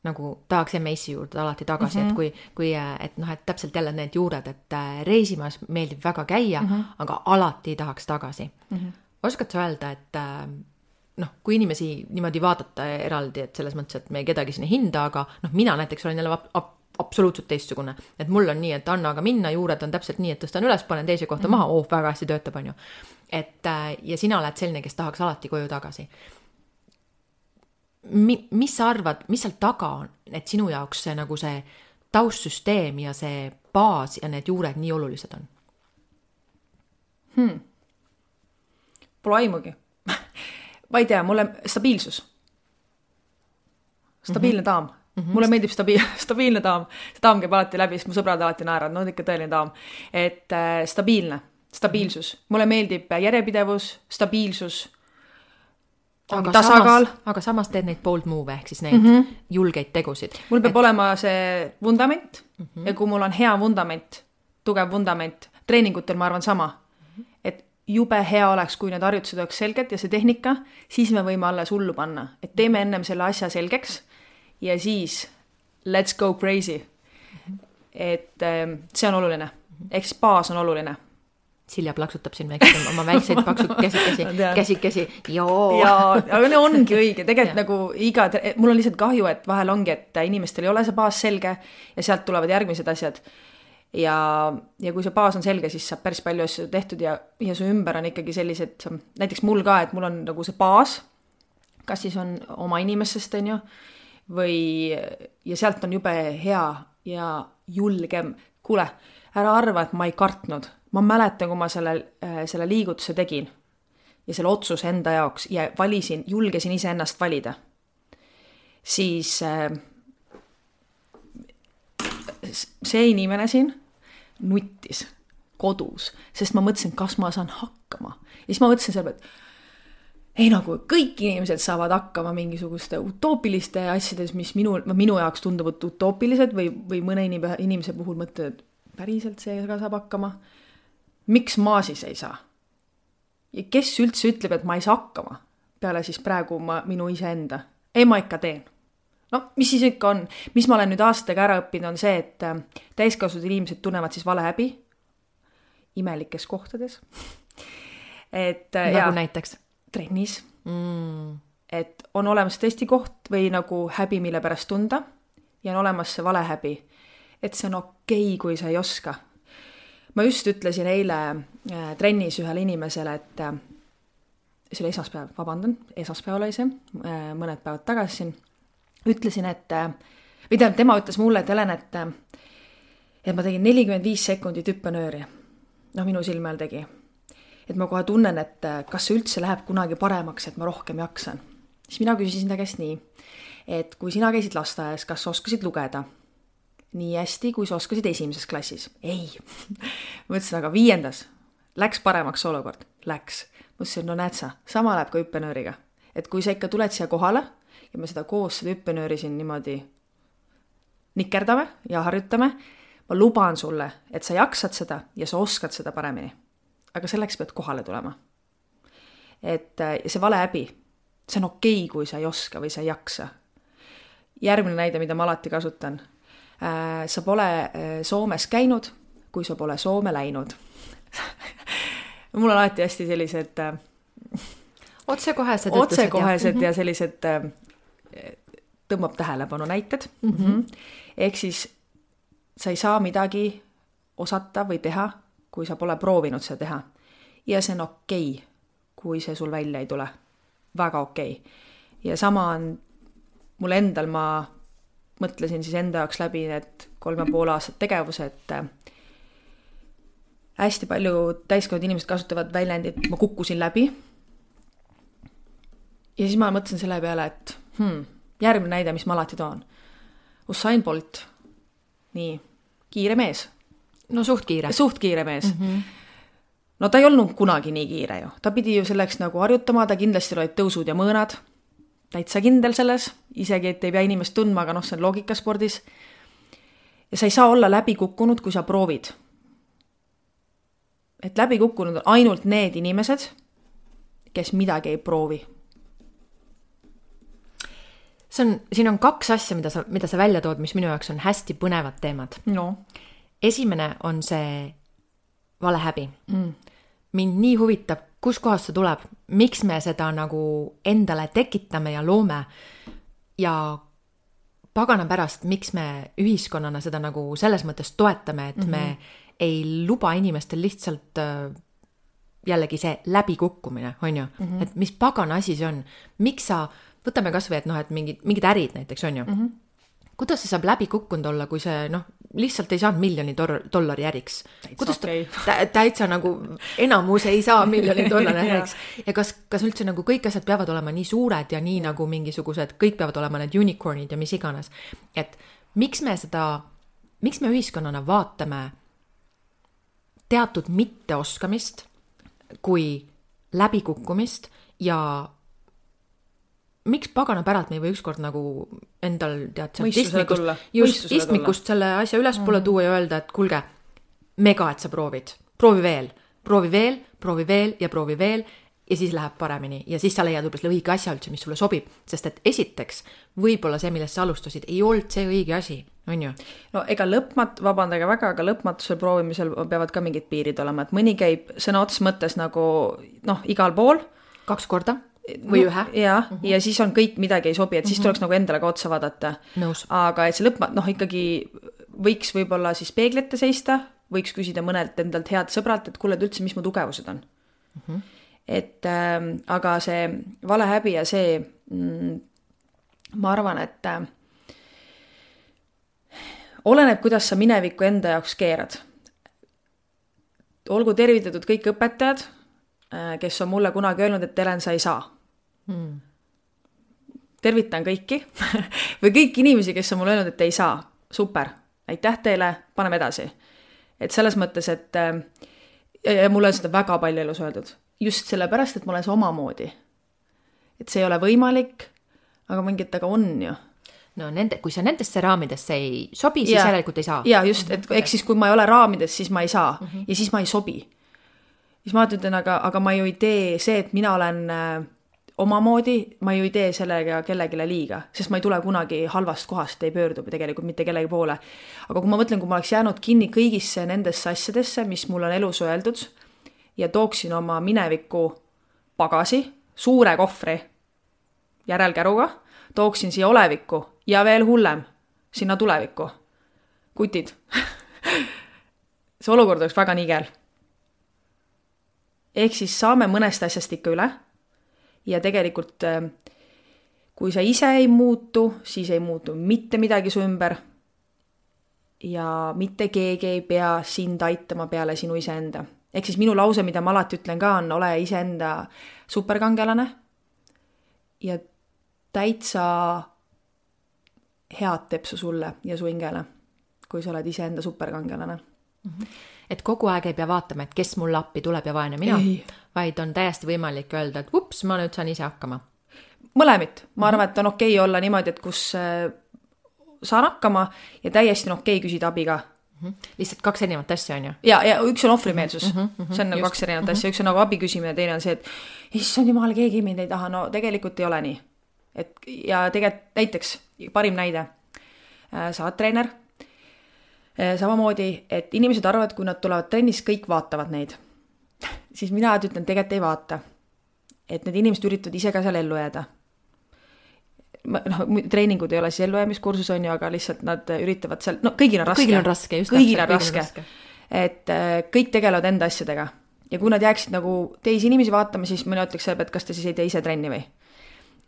nagu tahaks M S-i juurde alati tagasi, mm-hmm. et kui, kui et, noh, et täpselt jälle need juured, et reisimas meeldib väga käia, mm-hmm. aga alati tahaks tagasi. Mm-hmm. Oskad sa öelda, et noh, kui inimesi niimoodi vaadata eraldi, et selles mõttes, et me kedagi sinna hinda, aga noh, mina näiteks olen jälle ap- ap- absoluutselt teistsugune. Et mul on nii, et anna aga minna, juured on täpselt nii, et tõstan üles, panen teise kohta mm-hmm. maha, oh, väga hästi töötab, on ju. Et, ja sina oled selline, kes tahaks alati koju tagasi. Mi, mis sa arvad, mis seal taga on, et sinu jaoks see, nagu see taustsüsteem ja see baas ja need juured nii olulised on? Hmm. Pole aimugi. Ma ei tea, mulle stabiilsus. Stabiilne mm-hmm. daam. Mm-hmm. Mulle meeldib stabiil, stabiilne daam. See daam käib alati läbi, sest mu sõbrad alati naerad. No ikka tõeline daam. Et äh, stabiilne, stabiilsus. Mm-hmm. Mulle meeldib järjepidevus, stabiilsus, aga tasakaal. Samas, aga samas teed neid bold move, ehk siis neid mm-hmm. julgeid tegusid. Mul peab Et... olema see vundament mm-hmm. ja kui mul on hea vundament, tugev vundament, treeningutel ma arvan sama, mm-hmm. et jube hea oleks, kui need harjutused oleks selged ja see tehnika, siis me võime alles hullu panna. Et teeme ennem selle asja selgeks ja siis let's go crazy. Et see on oluline. Ehk siis baas on oluline. Silja plaksutab siin väikseid, oma väikseid paksud käsikesi, käsikesi, joo. Jaa, aga ne ongi õige, tegelikult nagu iga, mul on lihtsalt kahju, et vahel ongi, et inimestel ei ole see baas selge ja sealt tulevad järgmised asjad. Ja, ja kui see baas on selge, siis saab päris palju asju tehtud ja, ja su ümber on ikkagi sellised, näiteks mul ka, et mul on nagu see baas, kas siis on oma inimesest, on ju, või, ja sealt on jube hea ja julgem. Kuule, ära arva, et ma ei kartnud. Ma mäletan, kui ma selle, selle liigutuse tegin ja selle otsuse enda jaoks ja valisin, julgesin ise ennast valida, siis see inimene siin nuttis kodus, sest ma mõtlesin, kas ma saan hakkama. Ja siis ma mõtlesin selle, et ei nagu kõik inimesed saavad hakkama mingisuguste utoopiliste asjades, mis minu, minu jaoks tunduvad utoopilised või, või mõne inimese puhul mõtled, päriselt see ka saab hakkama. Miks ma siis ei saa? Ja kes üldse ütleb, et ma ei saa hakkama? Peale siis praegu ma, minu iseenda. Ei, ma ikka teen. No, mis siis ikka on? Mis ma olen nüüd aastaga ära õppinud on see, et täiskasvanud inimesed tunnevad siis valehäbi imelikes kohtades. Et, nagu ja, näiteks? Trennis. Mm. Et on olemas tõesti koht või nagu häbi, mille pärast tunda ja on olemas see valehäbi. Et see on okei, kui sa ei oska. Ma just ütlesin eile äh, trennis ühele inimesele, et äh, see oli esmaspäev, vabandan, esmaspäev oli see, äh, mõned päevad tagasi siin, ütlesin, et äh, või tähendab, tema ütles mulle, et Helen, et, äh, et ma tegin nelikümmend viis sekundit hüppenööri. No minu silme all tegi. Et ma kohe tunnen, et äh, kas see üldse läheb kunagi paremaks, et ma rohkem jaksan. Siis mina küsisin ta käest nii, et kui sina käisid lasteaias, kas oskasid lugeda? Nii hästi, kui sa oskasid esimeses klassis. Ei. Mõtlesin, aga viiendas. Läks paremaks olukord. Läks. Mõtlesin, no näed sa, sama läheb ka hüppenööriga. Et kui sa ikka tuled siia kohale ja me seda koos seda hüppenööri siin niimoodi nikerdame ja harjutame, ma luban sulle, et sa jaksad seda ja sa oskad seda paremini. Aga selleks pead kohale tulema. Et see valehäbi, see on okei, kui sa ei oska või sa ei jaksa. Järgmine näide, mida ma alati kasutan. Sa pole Soomes käinud, kui sa pole Soome läinud. Mul on alati hästi sellised otsekohesed, otsekohesed ja, ja sellised tõmbab tähelepanu näited. Mm-hmm. Ehk siis sa ei saa midagi osata või teha, kui sa pole proovinud seda teha. Ja see on okei, kui see sul välja ei tule. Väga okei. Ja sama on mul endal, ma mõtlesin siis enda jaoks läbi need kolme pool aastat tegevuse, et hästi palju täiskasvanud inimesed kasutavad väljendit, ma kukkusin läbi. Ja siis ma mõtlesin selle peale, et hmm, järgmine näide, mis ma alati toon. Usain Bolt, nii, kiire mees. No suht kiire. Suht kiire mees. Mm-hmm. No ta ei olnud kunagi nii kiire ju. Ta pidi ju selleks nagu harjutama, ta kindlasti olid tõusud ja mõõnad. Täitsa kindel selles, isegi et ei pea inimest tundma, aga noh, see on loogikaspordis. Ja sa ei saa olla läbi kukkunud, kui sa proovid. Et läbi kukkunud on ainult need inimesed, kes midagi ei proovi. See on, siin on kaks asja, mida sa, mida sa välja tood, mis minu jaoks on hästi põnevad teemad. No. Esimene on see valehäbi. Mm. Mind nii huvitab, kus kohast see tuleb, miks me seda nagu endale tekitame ja loome ja pagana pärast, miks me ühiskonnana seda nagu selles mõttes toetame, et mm-hmm. me ei luba inimestel lihtsalt jällegi see läbikukkumine, on ju, mm-hmm. et mis pagana asi see on, miks sa, võtame kas või, et noh, et mingid, mingid ärid näiteks, on ju, mm-hmm. kuidas see saab läbi kukkunud olla, kui see noh, lihtsalt ei saanud miljoni tor- dollari äriks. Kuidas ta okay. tä- täitsa nagu enamus ei saa miljoni dollari äriks. Ja kas, kas üldse nagu kõik asjad peavad olema nii suured ja nii nagu mingisugused, kõik peavad olema need unicornid ja mis iganes. Et miks me seda, miks me ühiskonnana vaatame teatud mitteoskamist kui läbikukkumist ja miks pagana päralt me ei või ükskord nagu endal tead istmikust, just istmikust selle asja ülespoole mm. tuua ja öelda, et kulge, mega, et sa proovid. Proovi veel, proovi veel, proovi veel ja proovi veel ja siis läheb paremini. Ja siis sa leiad võib-olla õige asja üldse, mis sulle sobib. Sest et esiteks, võib-olla see, millest sa alustasid, ei olnud see õige asi. on ju? No ega lõpmat-, vabandage väga, aga lõpmatusel proovimisel peavad ka mingid piirid olema, et mõni käib sõna ots mõttes nagu noh, igal pool. Kaks korda või ühe. Ja, uh -huh. ja siis on kõik midagi ei sobi, et siis uh -huh. tuleks nagu endale ka otsa vaadata. Nõus. Aga et see lõpmat-, noh ikkagi võiks võib-olla siis peeglite seista, võiks küsida mõnelt endalt head sõbralt, et kuule, et üldse, mis mu tugevused on. Uh -huh. Et äh, aga see valehäbi ja see mm, ma arvan, et äh, oleneb, kuidas sa minevikku enda jaoks keerad. Olgu tervitatud kõik õpetajad, äh, kes on mulle kunagi öelnud, et Helen, sa ei saa. Hmm. Tervitan kõiki või kõik inimesi, kes on mulle öelnud, et ei saa. Super, aitäh teile, paneme edasi. Et selles mõttes, et äh, ja mulle on seda väga palju elus öeldud. Just sellepärast, et ma olen see omamoodi. Et see ei ole võimalik, aga mingit aga on ju. No nende, kui sa nendesse raamidesse ei sobi, siis ja, järelikult ei saa. Ja just, et eks siis kui ma ei ole raamides, siis ma ei saa. Uh -huh. Ja siis ma ei sobi. Siis ma ütlen, aga, aga ma ju ei tee see, et mina olen äh, omamoodi, ma ju ei tee sellega kellegile liiga, sest ma ei tule kunagi halvast kohast, ei pöördu tegelikult mitte kellegi poole. Aga kui ma mõtlen, kui ma oleks jäänud kinni kõigisse nendesse asjadesse, mis mul on elus öeldud, ja tooksin oma mineviku pagasi, suure kohvri järelkäruga, tooksin siia olevikku ja veel hullem, sinna tulevikku. Kutid. See olukord oleks väga nigel. Ehk siis saame mõnest asjast ikka üle ja tegelikult kui sa ise ei muutu, siis ei muutu mitte midagi su ümber ja mitte keegi ei pea sind aitama peale sinu iseenda. Ehk siis minu lause, mida ma alati ütlen ka, on ole iseenda superkangelane ja täitsa head tepsu sulle ja su hingele, kui sa oled iseenda superkangelane. Mm-hmm. Et kogu aeg ei pea vaatama, et kes mulle appi tuleb ja vaene mina, ei. Vaid on täiesti võimalik öelda, et ups, ma nüüd saan ise hakkama. Mõlemit. Ma arvan, et on okei olla niimoodi, et kus saan hakkama ja täiesti on okei küsida abi ka. Mm-hmm. Lihtsalt kaks erinevat asja on ju. Ja, ja üks on ohvrimeelsus. Mm-hmm, mm-hmm, see on nagu kaks erinevat mm-hmm. asja. Üks on nagu abi küsimine, teine on see, et issand jumal, keegi mind ei taha. No tegelikult ei ole nii. Et, ja tegelikult näiteks, parim näide, sa oled treener, samamoodi, et inimesed arvavad, kui nad tulevad trennis, kõik vaatavad neid. Siis mina ütlen, tegelikult ei vaata. Et need inimesed üritavad ise ka seal ellu jääda. No, treeningud ei ole siis ellujäämiskursus on ju, aga lihtsalt nad üritavad seal, no kõigil on raske. Kõigil on raske, just kõigil on raske. raske. Et kõik tegelevad enda asjadega. Ja kui nad jääksid nagu teisi inimesi vaatama, siis mõne ütleks, et kas te siis ei tee ise trenni või?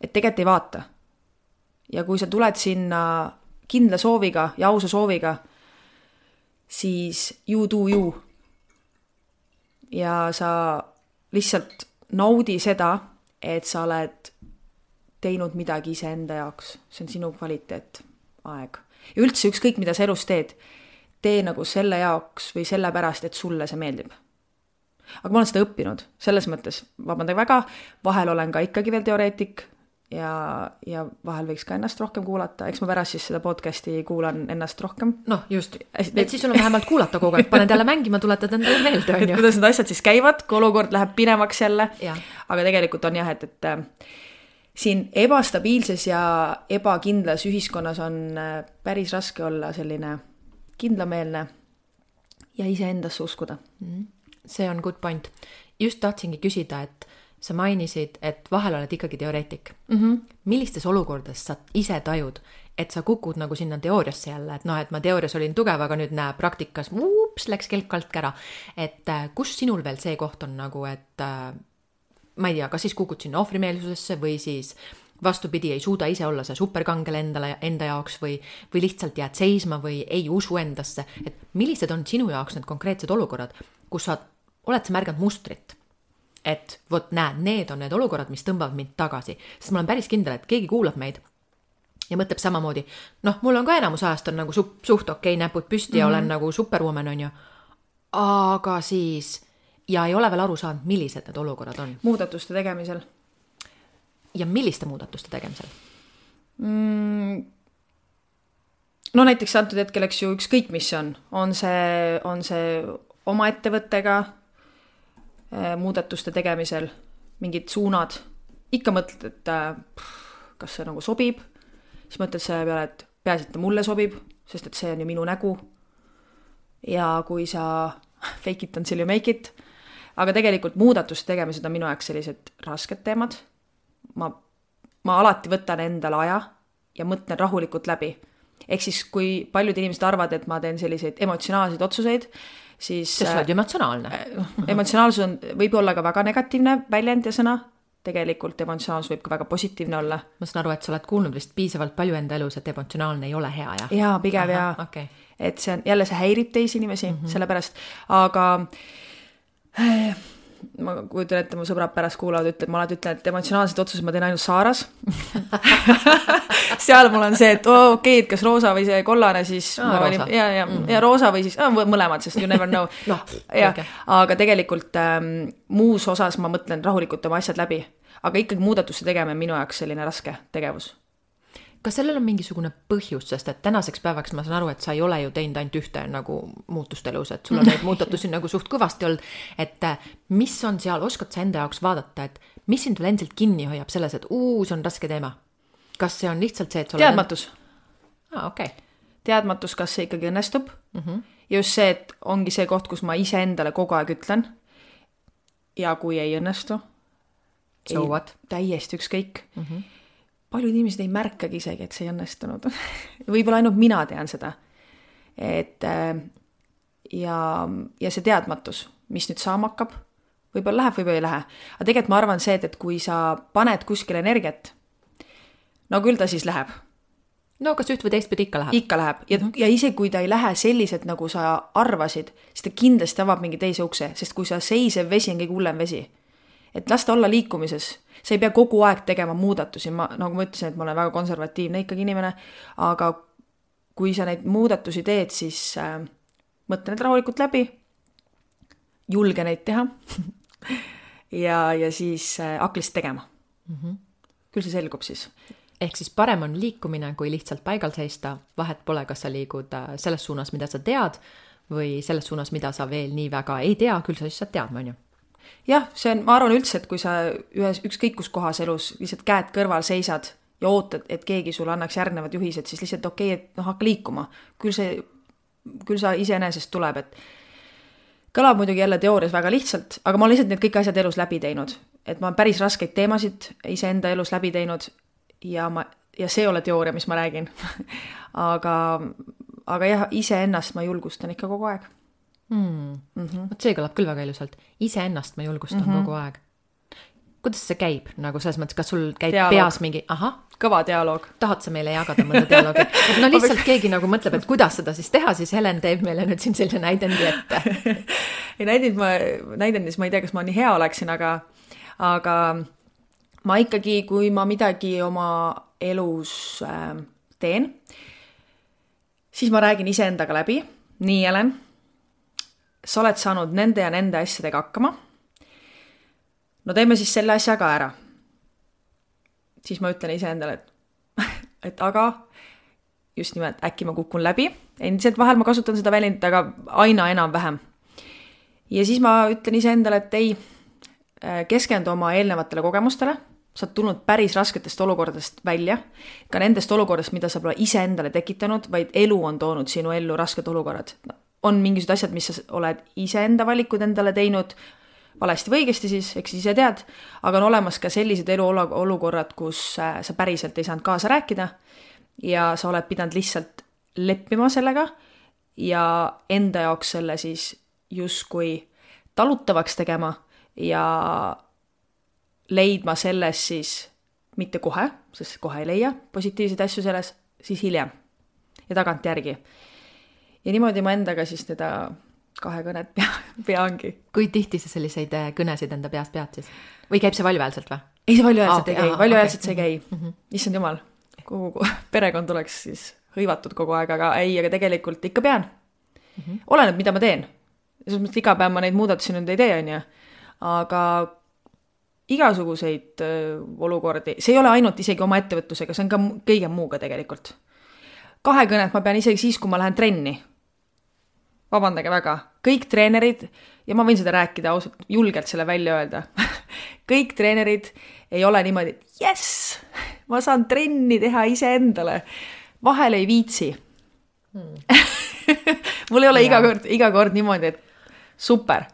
Et tegelikult ei vaata. Ja kui sa tuled sinna kindla sooviga ja ausa sooviga, siis you do you. Ja sa lihtsalt naudi seda, et sa oled teinud midagi ise enda jaoks. See on sinu kvaliteet, aeg. Ja üldse ükskõik, mida sa elus teed, tee nagu selle jaoks või selle pärast, et sulle see meeldib. Aga ma olen seda õppinud. Selles mõttes, vabandage väga, vahel olen ka ikkagi veel teoreetik ja, ja vahel võiks ka ennast rohkem kuulata. Eks ma pärast siis seda podcasti kuulan ennast rohkem. Noh, just. Et siis sul on vähemalt kuulata kogu aeg. Paned jälle mängima, tuletad endale meelde. Et kuidas need asjad siis käivad, kui olukord läheb pinevaks jälle. Ja. Aga tegelikult on jah, et, et siin ebastabiilses ja ebakindlas ühiskonnas on päris raske olla selline kindlameelne ja iseendasse uskuda. See on good point. Just tahtsingi küsida, et sa mainisid, et vahel oled ikkagi teoreetik. Mm-hmm. Millistes olukordades sa ise tajud, et sa kukud nagu sinna teooriasse jälle, et noh, et ma teoorias olin tugev, aga nüüd näe praktikas, ups, läks kelk alt kära. Et kus sinul veel see koht on nagu, et ma ei tea, kas siis kukud sinna ohvrimeelsusesse või siis vastupidi ei suuda ise olla see superkangel endale, enda jaoks või, või lihtsalt jääd seisma või ei usu endasse. Et millised on sinu jaoks need konkreetsed olukorrad, kus sa oled sa märganud mustrit? Et vot näed, need on need olukorrad, mis tõmbavad mind tagasi. Sest ma olen päris kindel, et keegi kuulab meid ja mõtleb samamoodi, noh, mul on ka enamus ajast on nagu su- suht okei näpud püsti ja mm-hmm. olen nagu superwoman on ju. Aga siis... Ja ei ole veel aru saanud, millised need olukorrad on. Muudatuste tegemisel. Ja milliste muudatuste tegemisel? Mm, no näiteks antud hetkel, eks ju, ükskõik mis on. On see, on see oma ettevõttega eh, muudatuste tegemisel, mingid suunad. Ikka mõtled, et pff, kas see nagu sobib. Siis mõtled selle peale, et peaasi, et mulle sobib. sest et see on ju minu nägu. Ja kui sa fake it until you make it, aga tegelikult muudatust tegemised on minu jaoks sellised rasked teemad. Ma, ma alati võtan endale aja ja mõtlen rahulikult läbi. Ehk siis, kui paljud inimesed arvad, et ma teen selliseid emotsionaalseid otsuseid, siis... See sa oled emotsionaalne. Emotsionaalsus on, võib olla ka väga negatiivne väljend ja sõna. Tegelikult emotsionaalsus võib ka väga positiivne olla. Ma saan aru, et sa oled kuulnud vist piisavalt palju enda elus, et emotsionaalne ei ole hea, jah? Jaa, pigem ja. Okay. Et see on, jälle see häirib teisi inimesi, mm -hmm. sellepärast. Aga äh, ma kujutan ette, mu sõbrad pärast kuulavad, ütleb, ma alati ütlen, et emotsionaalsed otsused ma teen ainult Saaras. Seal mul on see, et oo, okei, et kas roosa või see kollane, siis Aa, ma roosa. olin, ja, ja, mm -hmm. ja roosa või siis, mõlemad, sest you never know. no, ja, okay. Aga tegelikult ähm, muus osas ma mõtlen rahulikult oma asjad läbi. Aga ikkagi muudatuste tegema minu jaoks selline raske tegevus. Kas sellel on mingisugune põhjus, sest et tänaseks päevaks ma saan aru, et sa ei ole ju teinud ainult ühte nagu muutust elus, et sul on neid muutatusi nagu suht kõvasti olnud, et mis on seal, oskad sa enda jaoks vaadata, et mis sind veel endiselt kinni hoiab selles, et uu, see on raske teema? Kas see on lihtsalt see, et sa Teadmatus. Oled... Ah, okay. Teadmatus, kas see ikkagi õnnestub. Mm -hmm. Ja just see, et ongi see koht, kus ma ise endale kogu aeg ütlen. Ja kui ei õnnestu, so ei, what? Täiesti ükskõik. Mm -hmm. Paljud inimesed ei märkagi isegi, et see ei õnnestunud. Võib-olla ainult mina tean seda. Et, ja, ja see teadmatus, mis nüüd saama hakkab, võib-olla läheb, võib-olla ei lähe. Aga tegelikult ma arvan see, et, et kui sa paned kuskil energiat, no küll ta siis läheb. No kas üht või teist pidi ikka läheb? Ikka läheb. Ja, mm -hmm. ja ise kui ta ei lähe sellised, nagu sa arvasid, siis ta kindlasti avab mingi teise ukse, sest kui sa seisev vesi on kõige hullem vesi. Et lasta olla liikumises. Sa ei pea kogu aeg tegema muudatusi. Ma, nagu ma ütlesin, et ma olen väga konservatiivne ikkagi inimene, aga kui sa neid muudatusi teed, siis äh, mõtle need rahulikult läbi, julge neid teha ja, ja siis äh, haklist tegema. Mm -hmm. Küll see selgub siis. Ehk siis parem on liikumine, kui lihtsalt paigal seista. Vahet pole, kas sa liigud selles suunas, mida sa tead, või selles suunas, mida sa veel nii väga ei tea, küll sa siis saad teadma, on ju. Jah, see on, ma arvan üldse, et kui sa ühes ükskõik kus kohas elus lihtsalt käed kõrval seisad ja ootad, et keegi sulle annaks järgnevad juhised, siis lihtsalt okei, et noh, hakka liikuma. Küll see, küll sa iseenesest tuleb, et kõlab muidugi jälle teoorias väga lihtsalt, aga ma olen lihtsalt need kõik asjad elus läbi teinud. Et ma olen päris raskeid teemasid iseenda elus läbi teinud ja, ma, ja see ei ole teooria, mis ma räägin. aga, aga jah, iseennast ma julgustan ikka kogu aeg. Hmm. Mm -hmm. See kõlab küll väga ilusalt. Iseennast ma julgustan mm -hmm. kogu aeg. Kuidas see käib? Nagu selles mõttes, kas sul käib dialoog. Peas mingi, aha. Kõva dialoog. Tahad sa meile jagada mõnda dialoogi? Et no lihtsalt keegi nagu mõtleb, et kuidas seda siis teha, siis Helen teeb meile nüüd siin sellise näidendi ette. ei näidend ma, näidendis ma ei tea, kas ma nii hea oleksin, aga, aga ma ikkagi, kui ma midagi oma elus äh, teen, siis ma räägin iseendaga läbi. Nii, Helen, sa oled saanud nende ja nende asjadega hakkama. No teeme siis selle asja ka ära. Siis ma ütlen iseendale, et, et aga just nimelt äkki ma kukun läbi. Endiselt vahel ma kasutan seda väljendit, aga aina enam vähem. Ja siis ma ütlen iseendale, et ei, keskendu oma eelnevatele kogemustele. Sa oled tulnud päris rasketest olukordadest välja. Ka nendest olukordadest, mida sa pole iseendale tekitanud, vaid elu on toonud sinu ellu rasked olukorrad. On mingisugused asjad, mis sa oled iseenda valikud endale teinud, valesti või õigesti siis, eks ise tead, aga on olemas ka sellised eluolukorrad, kus sa päriselt ei saanud kaasa rääkida ja sa oled pidanud lihtsalt leppima sellega ja enda jaoks selle siis justkui talutavaks tegema ja leidma selles siis mitte kohe, sest kohe ei leia positiivseid asju selles, siis hiljem ja tagant järgi. Ja niimoodi ma endaga siis teda kahe kõnet pea, peangi. Kui tihti sa selliseid kõnesid enda peast pead siis? Või käib see valjuhäälselt või? Ei, see valjuhäälselt ei ah, käi, valjuhäälselt okay. see ei käi. Mm -hmm. Issand jumal, kogu perekond oleks siis hõivatud kogu aeg, aga ei, aga tegelikult ikka pean. Mm -hmm. Oleneb, mida ma teen. Selles mõttes iga päev ma neid muudatusi nüüd ei tee, on ju. Aga igasuguseid olukordi, see ei ole ainult isegi oma ettevõtlusega, see on ka kõige muuga tegelikult. Kahe kõnet ma pean isegi siis, kui ma lähen trenni. Vabandage väga. Kõik treenerid, ja ma võin seda rääkida ausalt, julgelt selle välja öelda. Kõik treenerid ei ole niimoodi, et yes, ma saan trenni teha ise endale. Vahel ei viitsi. hmm. mul ei ole ja. iga kord, iga kord niimoodi, et super.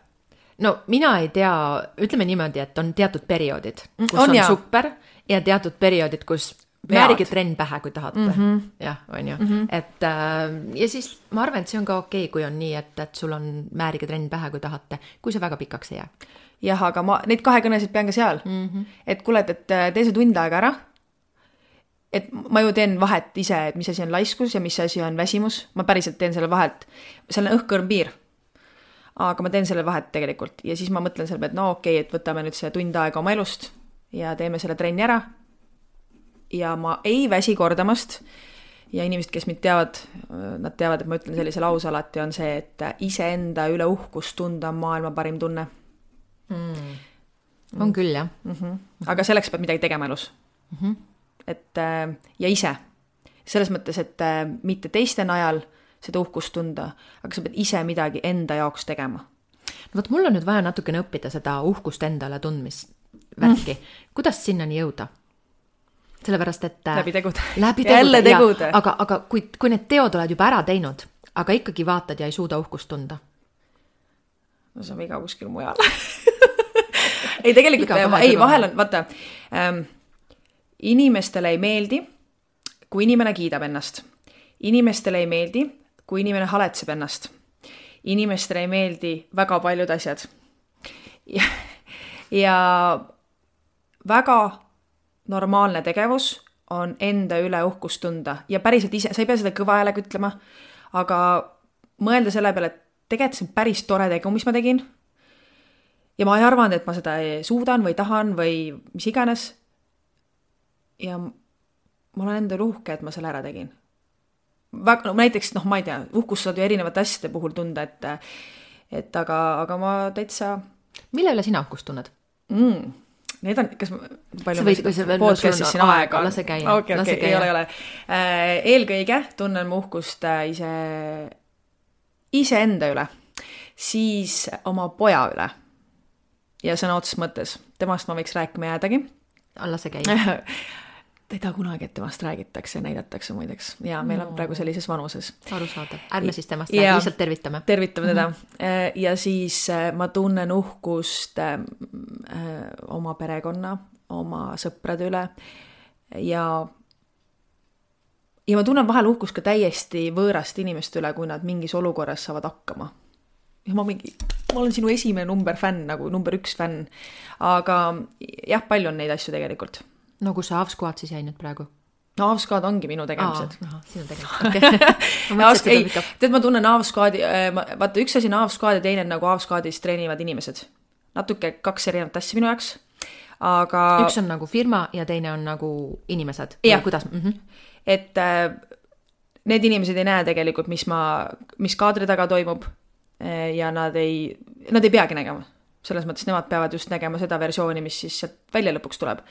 No mina ei tea, ütleme niimoodi, et on teatud perioodid, kus on, on ja. super ja teatud perioodid, kus määrige trenn pähe, kui tahate. Mm -hmm. jah, on ju. Mm -hmm. Et äh, ja siis ma arvan, et see on ka okei, kui on nii, et, et sul on määrige trenn pähe, kui tahate, kui see väga pikaks ei jää. Jah, aga ma neid kahekõnesid pean ka seal. Mm -hmm. Et kuule, et tee see tund aega ära. Et ma ju teen vahet ise, et mis asi on laiskus ja mis asi on väsimus. Ma päriselt teen selle vahet. Seal on õhkõrm piir. Aga ma teen selle vahet tegelikult. Ja siis ma mõtlen selle, et no okei, et võtame nüüd see tund aega oma elust ja teeme selle trenni ära. Ja ma ei väsi kordamast. Ja inimesed, kes mind teavad, nad teavad, et ma ütlen sellise lause alati, on see, et iseenda üle uhkust tunda on maailma parim tunne. Mm. On küll, jah. Mm-hmm. Aga selleks peab midagi tegema elus. Mm-hmm. Et, ja ise. Selles mõttes, et mitte teiste najal seda uhkust tunda, aga sa pead ise midagi enda jaoks tegema. No võt, mul on nüüd vaja natukene õppida seda uhkust endale tundmist värki. Mm. Kuidas sinnani jõuda? Sellepärast, et läbi tegude. Läbi tegude, jälle tegude. Ja, aga, aga kui, kui need teod oled juba ära teinud, aga ikkagi vaatad ja ei suuda uhkust tunda. No see on viga kuskil mujal. ei, tegelikult, ei, vahel on, vaata, ähm, inimestele ei meeldi, kui inimene kiidab ennast. Inimestele ei meeldi, kui inimene haletseb ennast. Inimestele ei meeldi väga paljud asjad. Ja, ja väga normaalne tegevus on enda üle uhkust tunda. Ja päriselt ise, sa ei pea seda kõva häälega ütlema, aga mõelda selle peale, et tegelikult see on päris tore tegu, mis ma tegin. Ja ma ei arvanud, et ma seda suudan või tahan või mis iganes. Ja ma olen enda uhke, et ma selle ära tegin. Väga, no, näiteks, noh, ma ei tea, uhkust saad ju erinevate asjade puhul tunda, et, et aga, aga ma täitsa... Mille üle sina uhkust tunned? Mm. Need on, kas palju võid, ma podcastis siin aega? Lase käia. Okei, okei, ei ole, ei ole. Eelkõige tunnen ma uhkust ise, ise enda üle, siis oma poja üle ja sõna otseses mõttes. Temast ma võiks rääkima jäädagi. Lase käia. Ta ei taha kunagi, et temast räägitakse ja näidatakse muideks. Ja meil on praegu sellises vanuses. Aru saada. Ärme siis temast räägi, lihtsalt tervitame. Tervitame teda. Mm-hmm. Ja siis ma tunnen uhkust oma perekonna, oma sõprade üle ja, ja ma tunnen vahel uhkust ka täiesti võõrast inimest üle, kui nad mingis olukorras saavad hakkama. Ja ma, mingi, ma olen sinu esimene number fänn, nagu number üks fänn. Aga jah, palju on neid asju tegelikult. No kus see Avsquad siis jäi nüüd praegu? No Avsquad ongi minu tegemised. Aa, aha, sinu tegemised. Okay. ei, tead, ma tunnen Avsquadi, vaata üks asi on Avsquad ja teine nagu Avsquadis treenivad inimesed. Natuke kaks erinevat asja minu jaoks. Aga... Üks on nagu firma ja teine on nagu inimesed. Ja. Kuidas? Mm-hmm. Et äh, need inimesed ei näe tegelikult, mis, ma, mis kaadri taga toimub ja nad ei, nad ei peagi nägema. Selles mõttes nemad peavad just nägema seda versiooni, mis siis sealt välja lõpuks tuleb.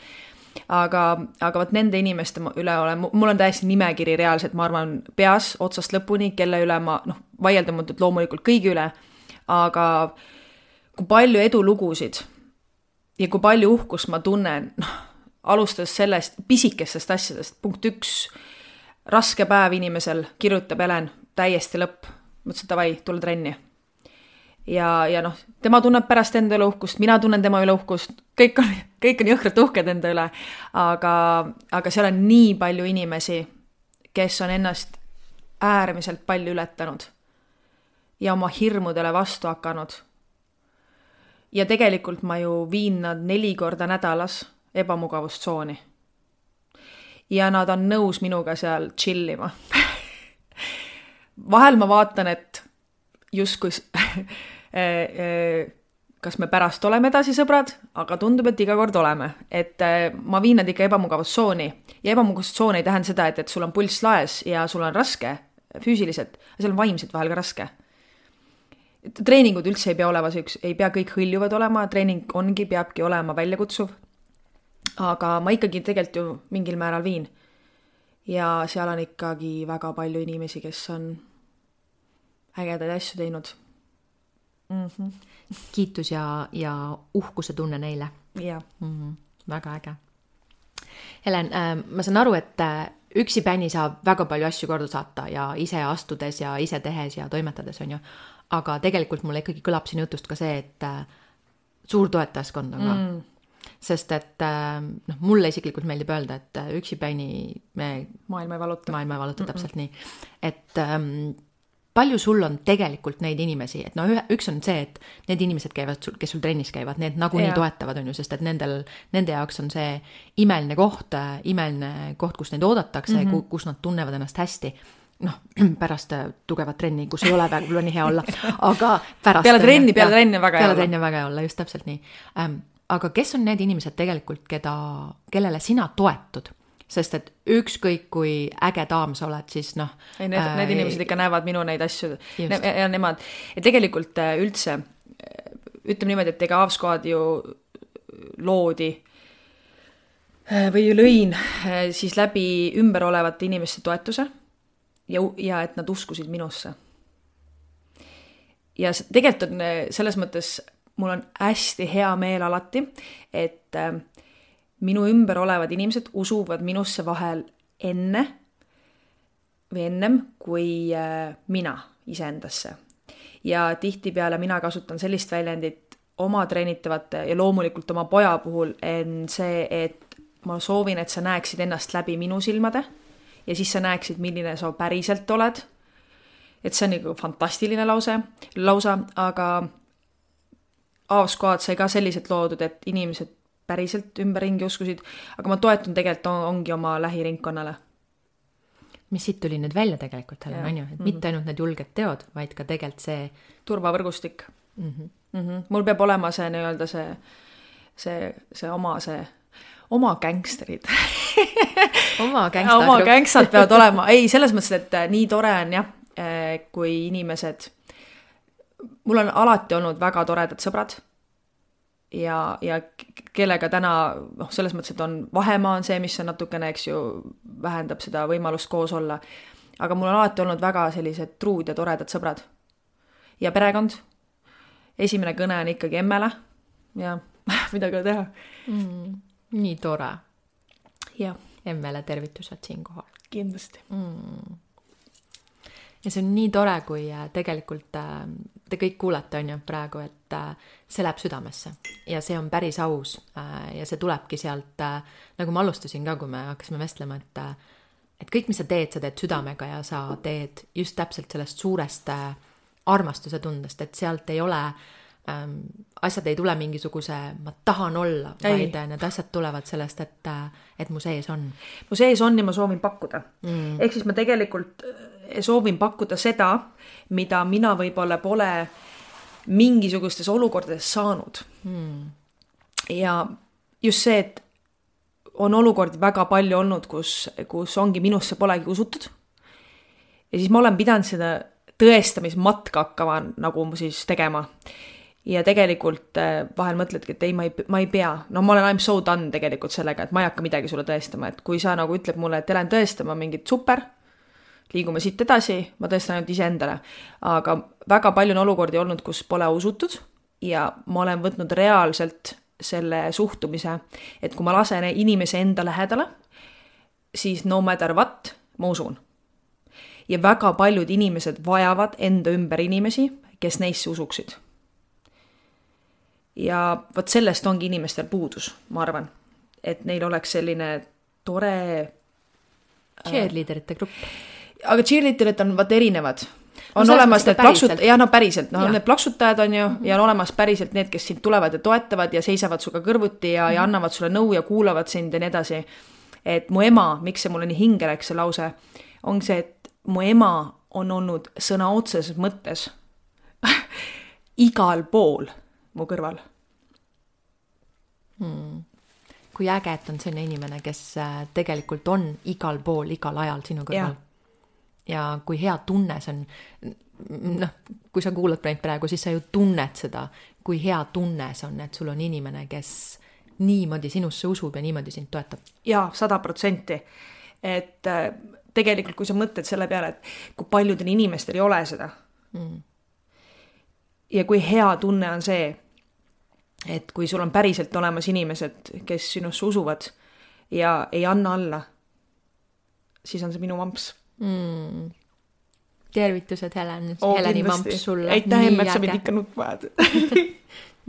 Aga, aga võt nende inimeste üle olen, mul on täiesti nimekiri reaalselt, ma arvan, peas otsast lõpuni, kelle üle ma, noh, vaieldamatult loomulikult kõigi üle, aga kui palju edulugusid ja kui palju uhkust ma tunnen, noh, alustades sellest pisikestest asjadest, punkt üks, raske päev inimesel, kirjutab Helen, täiesti lõpp, mõtlesin, et davai, tule trenni. Ja, ja noh, tema tunneb pärast enda üle uhkust, mina tunnen tema üle uhkust, kõik on, kõik on jõhkralt uhked enda üle, aga, aga seal on nii palju inimesi, kes on ennast äärmiselt palju ületanud ja oma hirmudele vastu hakanud. Ja tegelikult ma ju viin nad neli korda nädalas ebamugavustsooni. Ja nad on nõus minuga seal chillima. Vahel ma vaatan, et justkui kas me pärast oleme edasi sõbrad, aga tundub, et iga kord oleme. Et ma viin nad ikka ebamugavustsooni. Ja ebamugavustsoon ei tähenda seda, et, et sul on pulss laes ja sul on raske füüsiliselt, aga seal on vaimselt vahel ka raske. Treeningud üldse ei pea olema, ei pea kõik hõljuvad olema, treening ongi, peabki olema väljakutsuv. Aga ma ikkagi tegelikult ju mingil määral viin. Ja seal on ikkagi väga palju inimesi, kes on ägedaid asju teinud. Mm-hmm. Kiitus ja, ja uhkuse tunne neile. Ja. Mm-hmm. Väga äge. Helen, äh, ma saan aru, et üksipäini saab väga palju asju korda saata ja ise astudes ja ise tehes ja toimetades, on ju. Aga tegelikult mulle ikkagi kõlab siin jutust ka see, et äh, suur toetajaskond on ka. Mm. Sest et äh, noh, mulle isiklikult meeldib öelda, et äh, üksipäini me maailma ei valuta. Maailma ei valuta, täpselt mm-mm. nii. Et ähm, palju sul on tegelikult neid inimesi, et no ühe, üks on see, et need inimesed käivad sul, kes sul trennis käivad, need nagu nii toetavad, on ju, sest et nendel, nende jaoks on see imeline koht, imeline koht, kus neid oodatakse, mm-hmm. kus nad tunnevad ennast hästi. Noh, pärast tugevat trenni, kus ei ole väga nii hea olla, aga pärast... Peale trenni, peale trenni väga hea olla. Peale trenni väga hea olla, just täpselt nii. Ähm, aga kes on need inimesed tegelikult, keda, kellele sina toetud? Sest et ükskõik kui äge daam sa oled, siis noh... Ei, need, äh, need inimesed ikka näevad minu neid asju ne, ja nemad. Ja tegelikult üldse, ütleme niimoodi, et ega Avsquad ju loodi või ju lõin siis läbi ümber olevate inimeste toetuse ja, ja et nad uskusid minusse. Ja tegelikult on selles mõttes, mul on hästi hea meel alati, et minu ümber olevad inimesed usuvad minusse vahel enne või ennem kui mina iseendasse. Ja tihtipeale mina kasutan sellist väljendit oma treenitavate ja loomulikult oma poja puhul on see, et ma soovin, et sa näeksid ennast läbi minu silmade ja siis sa näeksid, milline sa päriselt oled. Et see on nagu fantastiline lause, lausa, aga Avsquad sai ka selliselt loodud, et inimesed päriselt ümberringi uskusid, aga ma toetun tegelikult on, ongi oma lähiringkonnale. Mis siit tuli nüüd välja tegelikult, Helen, on ju, et mitte ainult need julged teod, vaid ka tegelikult see turvavõrgustik. Mm-hmm. Mm-hmm. Mul peab olema see nii-öelda see, see, see oma see, oma gängsterid. oma gängstad. oma gängstad peavad olema. Ei, selles mõttes, et nii tore on jah, kui inimesed, mul on alati olnud väga toredad sõbrad, ja, ja kellega täna, noh, selles mõttes, et on vahemaa on see, mis on natukene, eks ju, vähendab seda võimalust koos olla. Aga mul on alati olnud väga sellised truud ja toredad sõbrad. Ja perekond. Esimene kõne on ikkagi emmele. Ja midagi teha. Mm, nii tore. Ja. Emmele tervitused siinkohal. Kindlasti. Mm. Ja see on nii tore, kui tegelikult te kõik kuulete, on ju, praegu, et see läheb südamesse ja see on päris aus ja see tulebki sealt, nagu ma alustasin ka, kui me hakkasime vestlema, et, et kõik, mis sa teed, sa teed südamega ja sa teed just täpselt sellest suurest armastuse tundest, et sealt ei ole, ähm, asjad ei tule mingisuguse, ma tahan olla, vaid need asjad tulevad sellest, et, et mu sees on. Mu sees on ja ma soovin pakkuda. Mm. Ehk siis ma tegelikult soovin pakkuda seda, mida mina võib-olla pole mingisugustes olukordades saanud. Hmm. Ja just see, et on olukordi väga palju olnud, kus, kus ongi minusse polegi usutud. Ja siis ma olen pidanud seda tõestamismatka hakkama nagu siis tegema. Ja tegelikult vahel mõtledki, et ei, ma ei, ma ei pea. No ma olen I'm so done tegelikult sellega, et ma ei hakka midagi sulle tõestama. Et kui sa nagu ütleb mulle, et lähen tõestama mingit super, liigume siit edasi, ma tõestan ainult ise endale. Aga väga palju on olukordi olnud, kus pole usutud ja ma olen võtnud reaalselt selle suhtumise, et kui ma lasen inimese enda lähedale, siis no matter what, ma usun. Ja väga paljud inimesed vajavad enda ümber inimesi, kes neisse usuksid. Ja võt sellest ongi inimestel puudus, ma arvan. Et neil oleks selline tore... cheerleaderite grupp. Aga cheerleaderid on vaat erinevad. On no, olemas need plaksut... Ja, no päriselt. No, need plaksutajad on ju mm-hmm. ja on olemas päriselt need, kes sind tulevad ja toetavad ja seisavad suga kõrvuti ja, mm-hmm. ja annavad sulle nõu ja kuulavad sind ja nii edasi. Et mu ema, miks see mulle nii hinge läks see lause, on see, et mu ema on olnud sõna otseses mõttes igal pool mu kõrval. Hmm. Kui äge, et on selline inimene, kes tegelikult on igal pool, igal ajal sinu kõrval. Ja. Ja kui hea tunne see on, noh, kui sa kuulad praegu, siis sa ju tunned seda, kui hea tunne see on, et sul on inimene, kes niimoodi sinusse usub ja niimoodi sind toetab. Jaa, sada protsenti. Et tegelikult, kui sa mõtled selle peale, et kui paljudel inimestel ei ole seda. Mm. Ja kui hea tunne on see, et kui sul on päriselt olemas inimesed, kes sinusse usuvad ja ei anna alla, siis on see minu mamps mm. Tervitused Helen, oh, Heleni mamps sulle. Aitäh, Emmet, sa mind ikka nutma ajad.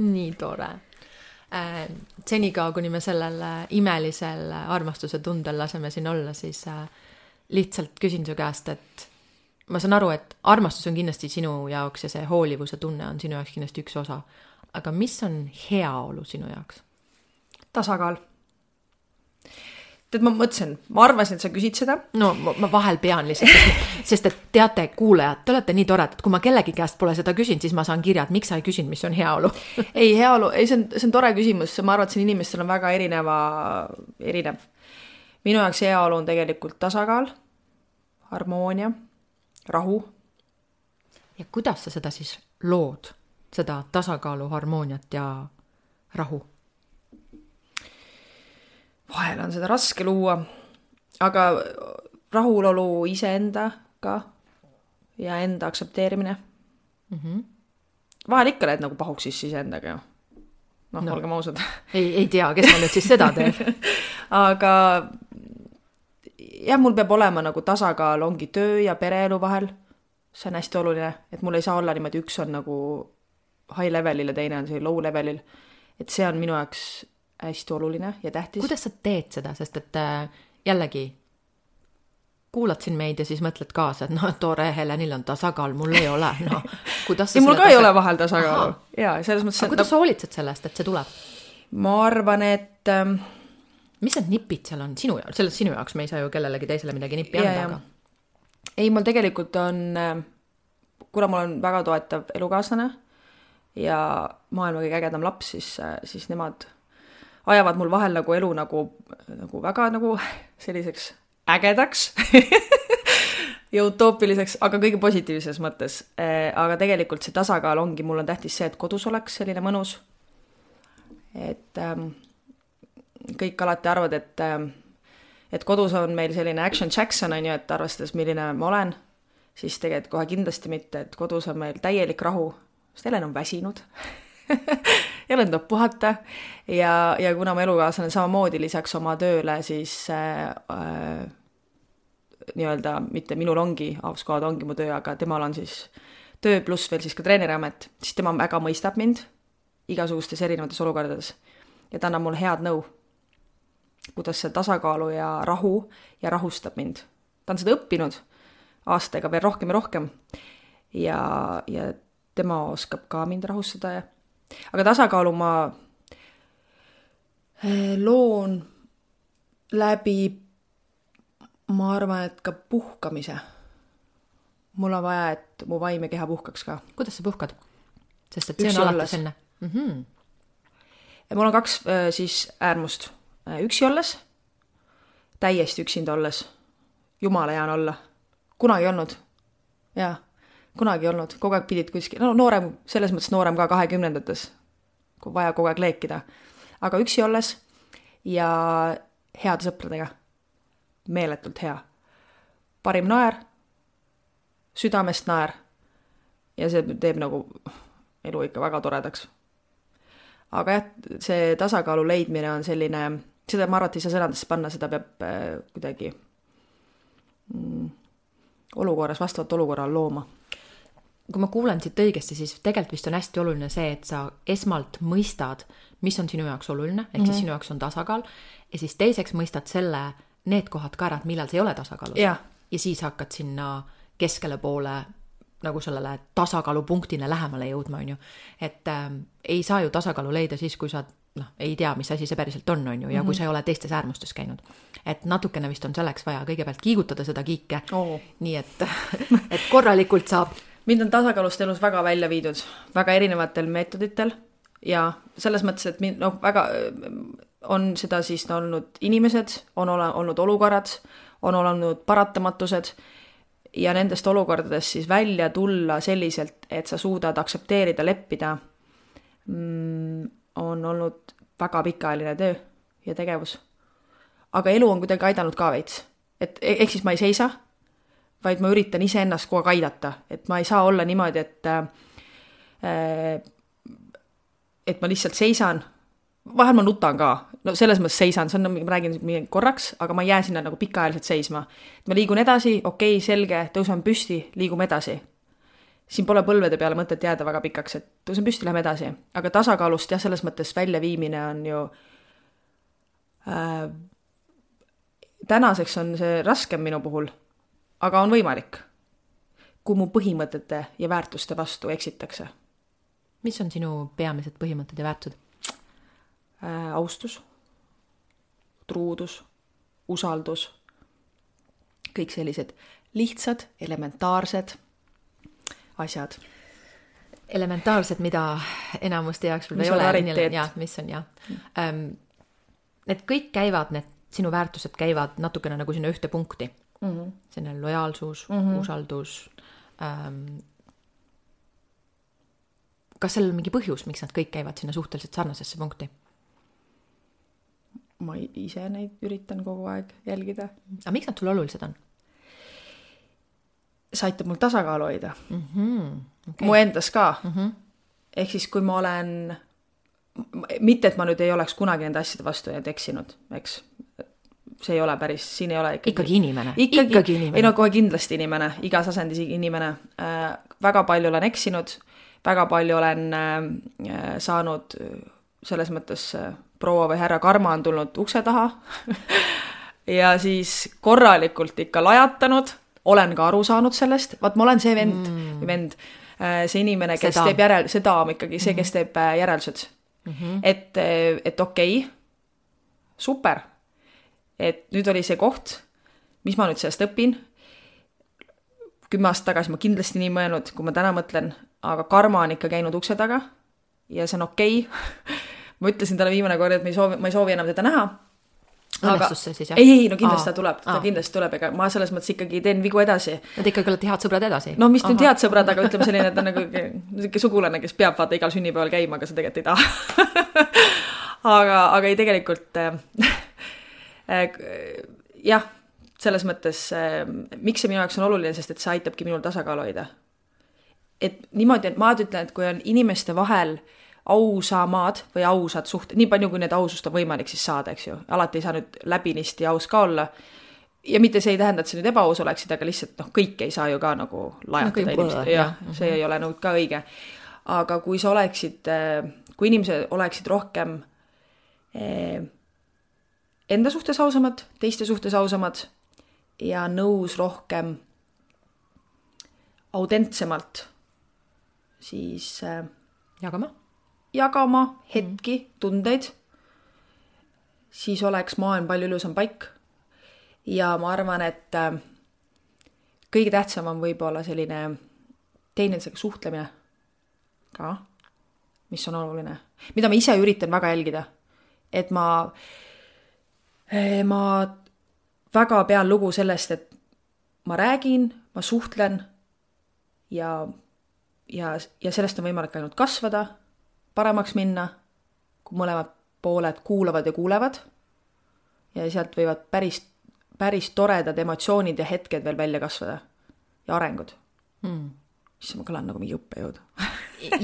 Nii tore. Äh, senikaua, kuni me sellel imelisel armastuse tundel laseme siin olla, siis äh, lihtsalt küsin su käest, et ma saan aru, et armastus on kindlasti sinu jaoks ja see hoolivuse tunne on sinu jaoks kindlasti üks osa. Aga mis on heaolu sinu jaoks? Tasakaal. Tead, ma mõtlesin, ma arvasin, et sa küsid seda. No ma vahel pean lihtsalt, sest et teate, kuulejad, te olete nii tored, et kui ma kellegi käest pole seda küsinud, siis ma saan kirjad, miks sa ei küsinud, mis on heaolu. Ei, heaolu, ei, see on, see on tore küsimus, ma arvan, et siin inimestel on väga erineva, erinev. Minu jaoks heaolu on tegelikult tasakaal, harmoonia, rahu. Ja kuidas sa seda siis lood, seda tasakaalu, harmooniat ja rahu? Vahel on seda raske luua, aga rahulolu iseendaga ja enda aksepteerimine. Mm-hmm. Vahel ikka lähed nagu pahuks siis iseendaga. Noh, no, olgem ausad. Ei, ei tea, kes ma nüüd siis seda teeb. Aga jah, mul peab olema nagu tasakaal ongi töö ja pereelu vahel. See on hästi oluline, et mul ei saa olla niimoodi, üks on nagu high levelil ja teine on see low levelil. Et see on minu jaoks hästi oluline ja tähtis. Kuidas sa teed seda, sest et jällegi kuulad siin meid ja siis mõtled kaasa, et no tore, Helenil on tasakaal, mul ei ole. No, kuidas ja mul ka tasa... ei ole vahel tasakaalu. Ja, selles mõttes, aga kuidas sa hoolitsed sellest, et see tuleb? Ma arvan, et... Ähm... Mis need nipid seal on sinu jaoks? Selles sinu jaoks me ei saa ju kellelegi teisele midagi nippi anda. Aga... Ei, mul tegelikult on, kuna mul on väga toetav elukaaslane ja maailma kõige ägedam laps, siis, siis nemad ajavad mul vahel nagu elu nagu, nagu väga nagu selliseks ägedaks ja utoopiliseks, aga kõige positiivses mõttes. Aga tegelikult see tasakaal ongi, mul on tähtis see, et kodus oleks selline mõnus. Et ähm, kõik alati arvad, et, ähm, et kodus on meil selline Action Jackson, on ju, et arvestades, milline ma olen, siis tegelikult kohe kindlasti mitte, et kodus on meil täielik rahu, sest Helen on väsinud ja olen tuleb puhata ja, ja kuna ma elukaaslane samamoodi lisaks oma tööle, siis äh, äh, nii-öelda mitte minul ongi, Avskoad ongi mu töö, aga temal on siis töö pluss veel siis ka treeneriamet, siis tema väga mõistab mind igasugustes erinevates olukordades ja ta annab mulle head nõu, kuidas see tasakaalu ja rahu ja rahustab mind. Ta on seda õppinud aastaga veel rohkem ja rohkem ja, ja tema oskab ka mind rahustada ja aga tasakaalu ma loon läbi, ma arvan, et ka puhkamise. Mul on vaja, et mu vaim ja keha puhkaks ka. Kuidas sa puhkad? Sest et see on alati senne. Mm-hmm. Mul on kaks siis äärmust. Üksi olles, täiesti üksinda olles. Jumala hea on olla. Kunagi olnud. Jaa. Kunagi olnud, kogu aeg pidid kuskil, no noorem, selles mõttes noorem ka kahekümnendates, kui vaja kogu aeg leekida. Aga üksi olles ja heade sõpradega, meeletult hea. Parim naer, südamest naer ja see teeb nagu elu ikka väga toredaks. Aga jah, see tasakaalu leidmine on selline, seda ma arvan, et ei saa sõnadesse panna, seda peab äh, kuidagi mm, olukorras, vastavalt olukorral looma. Kui ma kuulen siit õigesti, siis tegelikult vist on hästi oluline see, et sa esmalt mõistad, mis on sinu jaoks oluline, ehk mm-hmm. siis sinu jaoks on tasakaal, ja siis teiseks mõistad selle, need kohad ka ära, et millal see ei ole tasakaalus. Ja. ja siis hakkad sinna keskele poole nagu sellele tasakaalupunktile lähemale jõudma, on ju. Et äh, ei saa ju tasakaalu leida siis, kui sa no, ei tea, mis asi see päriselt on, on ju, ja mm-hmm. kui sa ei ole teistes äärmustes käinud. Et natukene vist on selleks vaja kõigepealt kiigutada seda kiike, oh. nii et, et korralikult saab. Mind on tasakaalust elus väga välja viidud, väga erinevatel meetoditel ja selles mõttes, et mind, no, väga on seda siis olnud inimesed, on ole, olnud olukorrad, on olnud paratamatused ja nendest olukordadest siis välja tulla selliselt, et sa suudad aksepteerida, leppida, mm, on olnud väga pikaajaline töö ja tegevus. Aga elu on kuidagi aidanud ka veits. Et, ehk siis ma ei seisa, vaid ma üritan ise ennast kogu aeg aidata. Et ma ei saa olla niimoodi, et, äh, et ma lihtsalt seisan. Vahel ma nutan ka. no selles mõttes seisan, see on, ma räägin korraks, aga ma jään sinna nagu pikaajaliselt seisma. Ma liigun edasi, okei, okay, selge, tõusen püsti, liigume edasi. Siin pole põlvede peale mõtet jääda väga pikaks, et tõusen püsti, lähme edasi. Aga tasakaalust jah, selles mõttes väljaviimine on ju äh, tänaseks on see raskem minu puhul, aga on võimalik, kui mu põhimõtete ja väärtuste vastu eksitakse. Mis on sinu peamised põhimõtted ja väärtused? Äh, austus, truudus, usaldus, kõik sellised lihtsad, elementaarsed asjad. Elementaarsed, mida enamuste jaoks võib ei ole. Ja, mis on, jah. Ähm, need kõik käivad, need sinu väärtused käivad natukene nagu sinna ühte punkti. Mm-hmm. Selline lojaalsus, mm-hmm. usaldus. Ähm, kas sellel on mingi põhjus, miks nad kõik käivad sinna suhteliselt sarnasesse punkti? Ma ise neid üritan kogu aeg jälgida. Aga miks nad sul olulised on? See aitab mul tasakaalu hoida. Mm-hmm. Okay. Mu endas ka. Mm-hmm. Ehk siis, kui ma olen, mitte et ma nüüd ei oleks kunagi nende asjade vastu ja eksinud, eks, see ei ole päris, siin ei ole ikkagi... Ikkagi inimene. Ikkagi, ikkagi inimene. Ei no kohe kindlasti inimene, igas asendis inimene. Äh, väga palju olen eksinud, väga palju olen äh, saanud selles mõttes... Äh, proua või härra karma on tulnud ukse taha ja siis korralikult ikka lajatanud, olen ka aru saanud sellest, vaat ma olen see vend, mm. vend see inimene, kes seda. teeb järel, see daam ikkagi, see, kes teeb järeldused. Mm-hmm. Et, et okei, okay, super, et nüüd oli see koht, mis ma nüüd sellest õpin, kümme aastat tagasi ma kindlasti nii mõelnud, kui ma täna mõtlen, aga karma on ikka käinud ukse taga ja see on okei okay. Ma ütlesin talle viimane kord, et ma ei soovi, ma ei soovi enam teda näha. Õnnestus see siis, jah? Ei, ei, no kindlasti ta tuleb, ta kindlasti tuleb, ega ma selles mõttes ikkagi teen vigu edasi. Nad ikkagi olete head sõbrad edasi? No mis nüüd head sõbrad, aga ütleme selline, et ta on nagu niisugune sugulane, kes peab vaata igal sünnipäeval käima, aga sa tegelikult ei taha. aga, aga ei tegelikult äh, jah, selles mõttes äh, miks see minu jaoks on oluline, sest et see aitabki minul tasakaalu hoida. Et niimoodi, et ma ütlen, et kui on inimeste vahel ausamad või ausad suhted, nii palju kui need ausust on võimalik siis saada, eks ju. Alati ei saa nüüd läbinisti aus ka olla. Ja mitte see ei tähenda, et see nüüd ebaaus oleksid, aga lihtsalt noh, kõik ei saa ju ka nagu lajatada no, inimesed. Ja, see ei ole nüüd ka õige. Aga kui sa oleksid, kui inimesed oleksid rohkem enda suhtes ausamad, teiste suhtes ausamad ja nõus rohkem autentsemalt siis jagama jagama hetki, tundeid, siis oleks maailm palju ilusam paik. Ja ma arvan, et kõige tähtsam on võib-olla selline teineteisega suhtlemine ka, mis on oluline. Mida ma ise üritan väga jälgida. Et ma, ma väga pean lugu sellest, et ma räägin, ma suhtlen ja, ja, ja sellest on võimalik ainult kasvada, paremaks minna, kui mõlemad pooled kuulavad ja kuulevad ja sealt võivad päris, päris toredad emotsioonid ja hetked veel välja kasvada ja arengud. Mm. Siis ma kõlan nagu mingi õppejõud.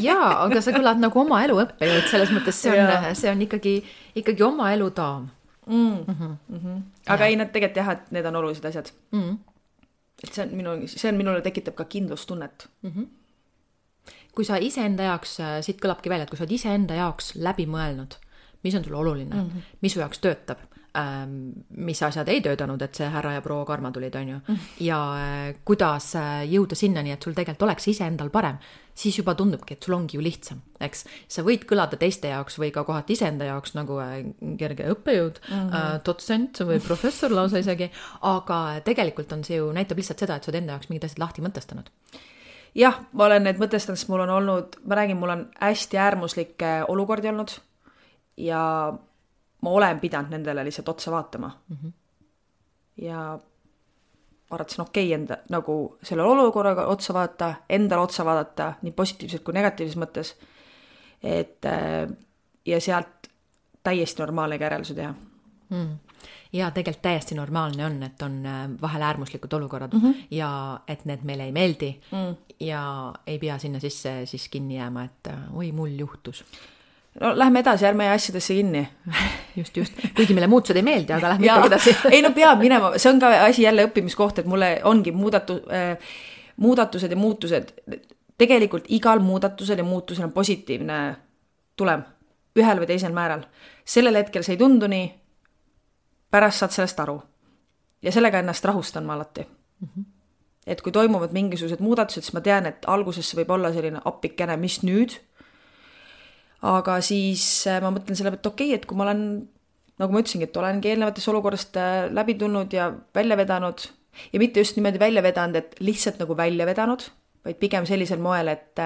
Jaa, aga sa kõlad nagu oma elu õppejõud, selles mõttes see on, see on ikkagi, ikkagi oma elu daam. Mm. Mm-hmm. Mm-hmm. Aga ja. Ei, need tegelikult jah, et need on olulised asjad. Mm. Et see on, minu, see on minule tekitab ka kindlustunnet. Mm-hmm. Kui sa ise enda jaoks, siit kõlabki välja, et kui sa oled ise enda jaoks läbi mõelnud, mis on sul oluline, mm-hmm. mis su jaoks töötab, mis asjad ei töötanud, et see härra ja proua karma tulid, on ju, mm-hmm. ja kuidas jõuda sinnani, et sul tegelikult oleks ise endal parem, siis juba tundubki, et sul ongi ju lihtsam, eks. Sa võid kõlada teiste jaoks või ka kohati ise enda jaoks nagu kerge õppejõud, mm-hmm. dotsent või professor lausa isegi, aga tegelikult on see ju, näitab lihtsalt seda, et sa oled enda jaoks mingid asjad lahti mõtestanud. Jah, ma olen need mõtestanud, sest mul on olnud, ma räägin, mul on hästi äärmuslikke olukordi olnud ja ma olen pidanud nendele lihtsalt otsa vaatama. Mm-hmm. Ja arvatasin okei okay, enda, nagu selle olukorraga otsa vaata, endale otsa vaadata, nii positiivselt kui negatiivses mõttes, et ja sealt täiesti normaalne järeluse teha. Mm. Ja tegelikult täiesti normaalne on, et on vahel äärmuslikud olukorrad mm-hmm. ja et need meile ei meeldi mm. ja ei pea sinna sisse siis kinni jääma, et oi, mul juhtus. no lähme edasi, ärme asjadesse kinni. just, just. Kuigi meile muutused ei meeldi, aga lähme ikkagi edasi. ei no peab minema, see on ka asi jälle õppimiskoht, et mulle ongi muudatu, äh, muudatused ja muutused. Tegelikult igal muudatusel ja muutusel on positiivne tulem, ühel või teisel määral. Sellel hetkel see ei tundu nii, pärast saad sellest aru. Ja sellega ennast rahustan ma alati. Mm-hmm. Et kui toimuvad mingisugused muudatused, siis ma tean, et alguses võib olla selline appikene, mis nüüd. Aga siis ma mõtlen selle, et okei, et kui ma olen, nagu ma ütlesingi, et olengi eelnevatest olukorrast läbi tulnud ja välja vedanud ja mitte just niimoodi välja vedanud, et lihtsalt nagu välja vedanud, vaid pigem sellisel moel, et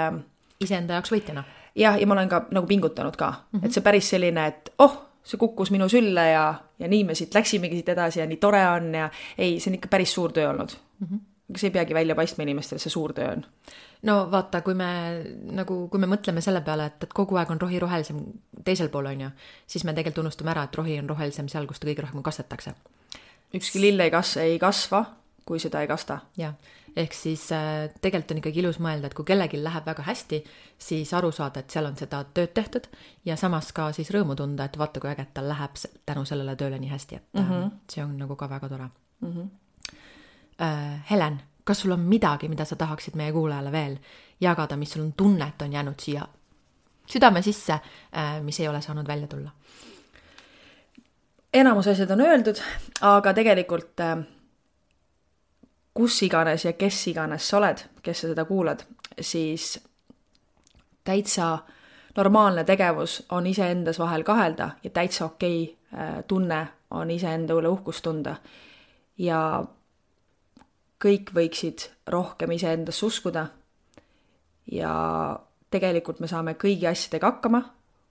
iseenda jaoks võitjana. Jah, ja ma olen ka nagu pingutanud ka, mm-hmm. et see päris selline, et oh, see kukkus minu sülle ja, ja nii me siit läksimegi siit edasi ja nii tore on ja ei, see on ikka päris suur töö olnud. Mm-hmm. Aga see ei peagi välja paistma inimestele, see suur töö on. No vaata, kui me, nagu, kui me mõtleme selle peale, et, et kogu aeg on rohi rohelisem teisel pool on ju, siis me tegelikult unustame ära, et rohi on rohelisem seal, kus ta kõige rohkem kastetakse. Ükski lill ei, kas, ei kasva, kui seda ei kasta. Ja, ehk siis äh, tegelikult on ikkagi ilus mõelda, et kui kellelgi läheb väga hästi, siis aru saada, et seal on seda tööd tehtud ja samas ka siis rõõmu tunda, et vaata, kui äget tal läheb tänu sellele tööle nii hästi, et mm-hmm. äh, see on nagu ka väga tore. Mm-hmm. Äh, Helen, kas sul on midagi, mida sa tahaksid meie kuulajale veel jagada, mis sul on tunne, et on jäänud siia südame sisse, mis ei ole saanud välja tulla? Enamus asjad on öeldud, aga tegelikult kus iganes ja kes iganes sa oled, kes sa seda kuulad, siis täitsa normaalne tegevus on iseendas vahel kahelda ja täitsa okei tunne on iseenda üle uhkust tunda. Ja kõik võiksid rohkem iseendas uskuda ja tegelikult me saame kõigi asjadega hakkama,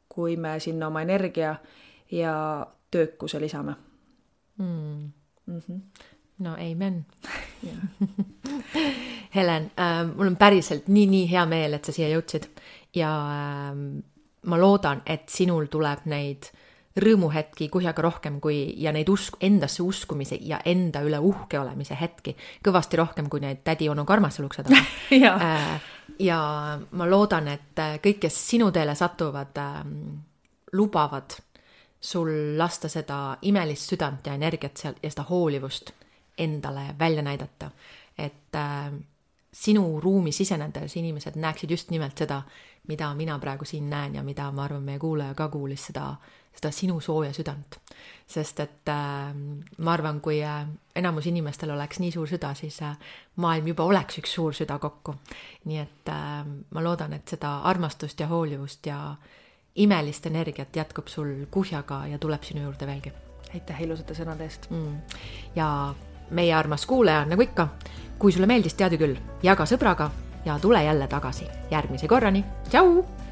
kui me sinna oma energia ja töökuse lisame. Mm. Mm-hmm. No amen. Helen, äh, mul on päriselt nii, nii hea meel, et sa siia jõudsid ja äh, ma loodan, et sinul tuleb neid rõõmuhetki kuhjaga rohkem kui, ja neid usk, endasse uskumise ja enda üle uhke olemise hetki kõvasti rohkem kui neid tädi onu karmase lukse taga. ja. Äh, ja ma loodan, et kõik, kes sinu teele satuvad, äh, lubavad sul lasta seda imelist südant ja energiat seal ja seda hoolivust endale välja näidata, et äh, sinu ruumi sisenedes inimesed näeksid just nimelt seda, mida mina praegu siin näen ja mida ma arvan, meie kuulaja ka kuulis seda, seda sinu sooja südant. Sest et äh, ma arvan, kui äh, enamus inimestel oleks nii suur süda, siis äh, maailm juba oleks üks suur süda kokku. Nii et äh, ma loodan, et seda armastust ja hoolivust ja imelist energiat jätkub sul kuhjaga ja tuleb sinu juurde veelgi. Aitäh ilusate sõnade eest. Mm. Ja meie armas kuulaja, nagu ikka, kui sulle meeldis, teadu küll, jaga sõbraga ja tule jälle tagasi järgmise korrani. Tšau!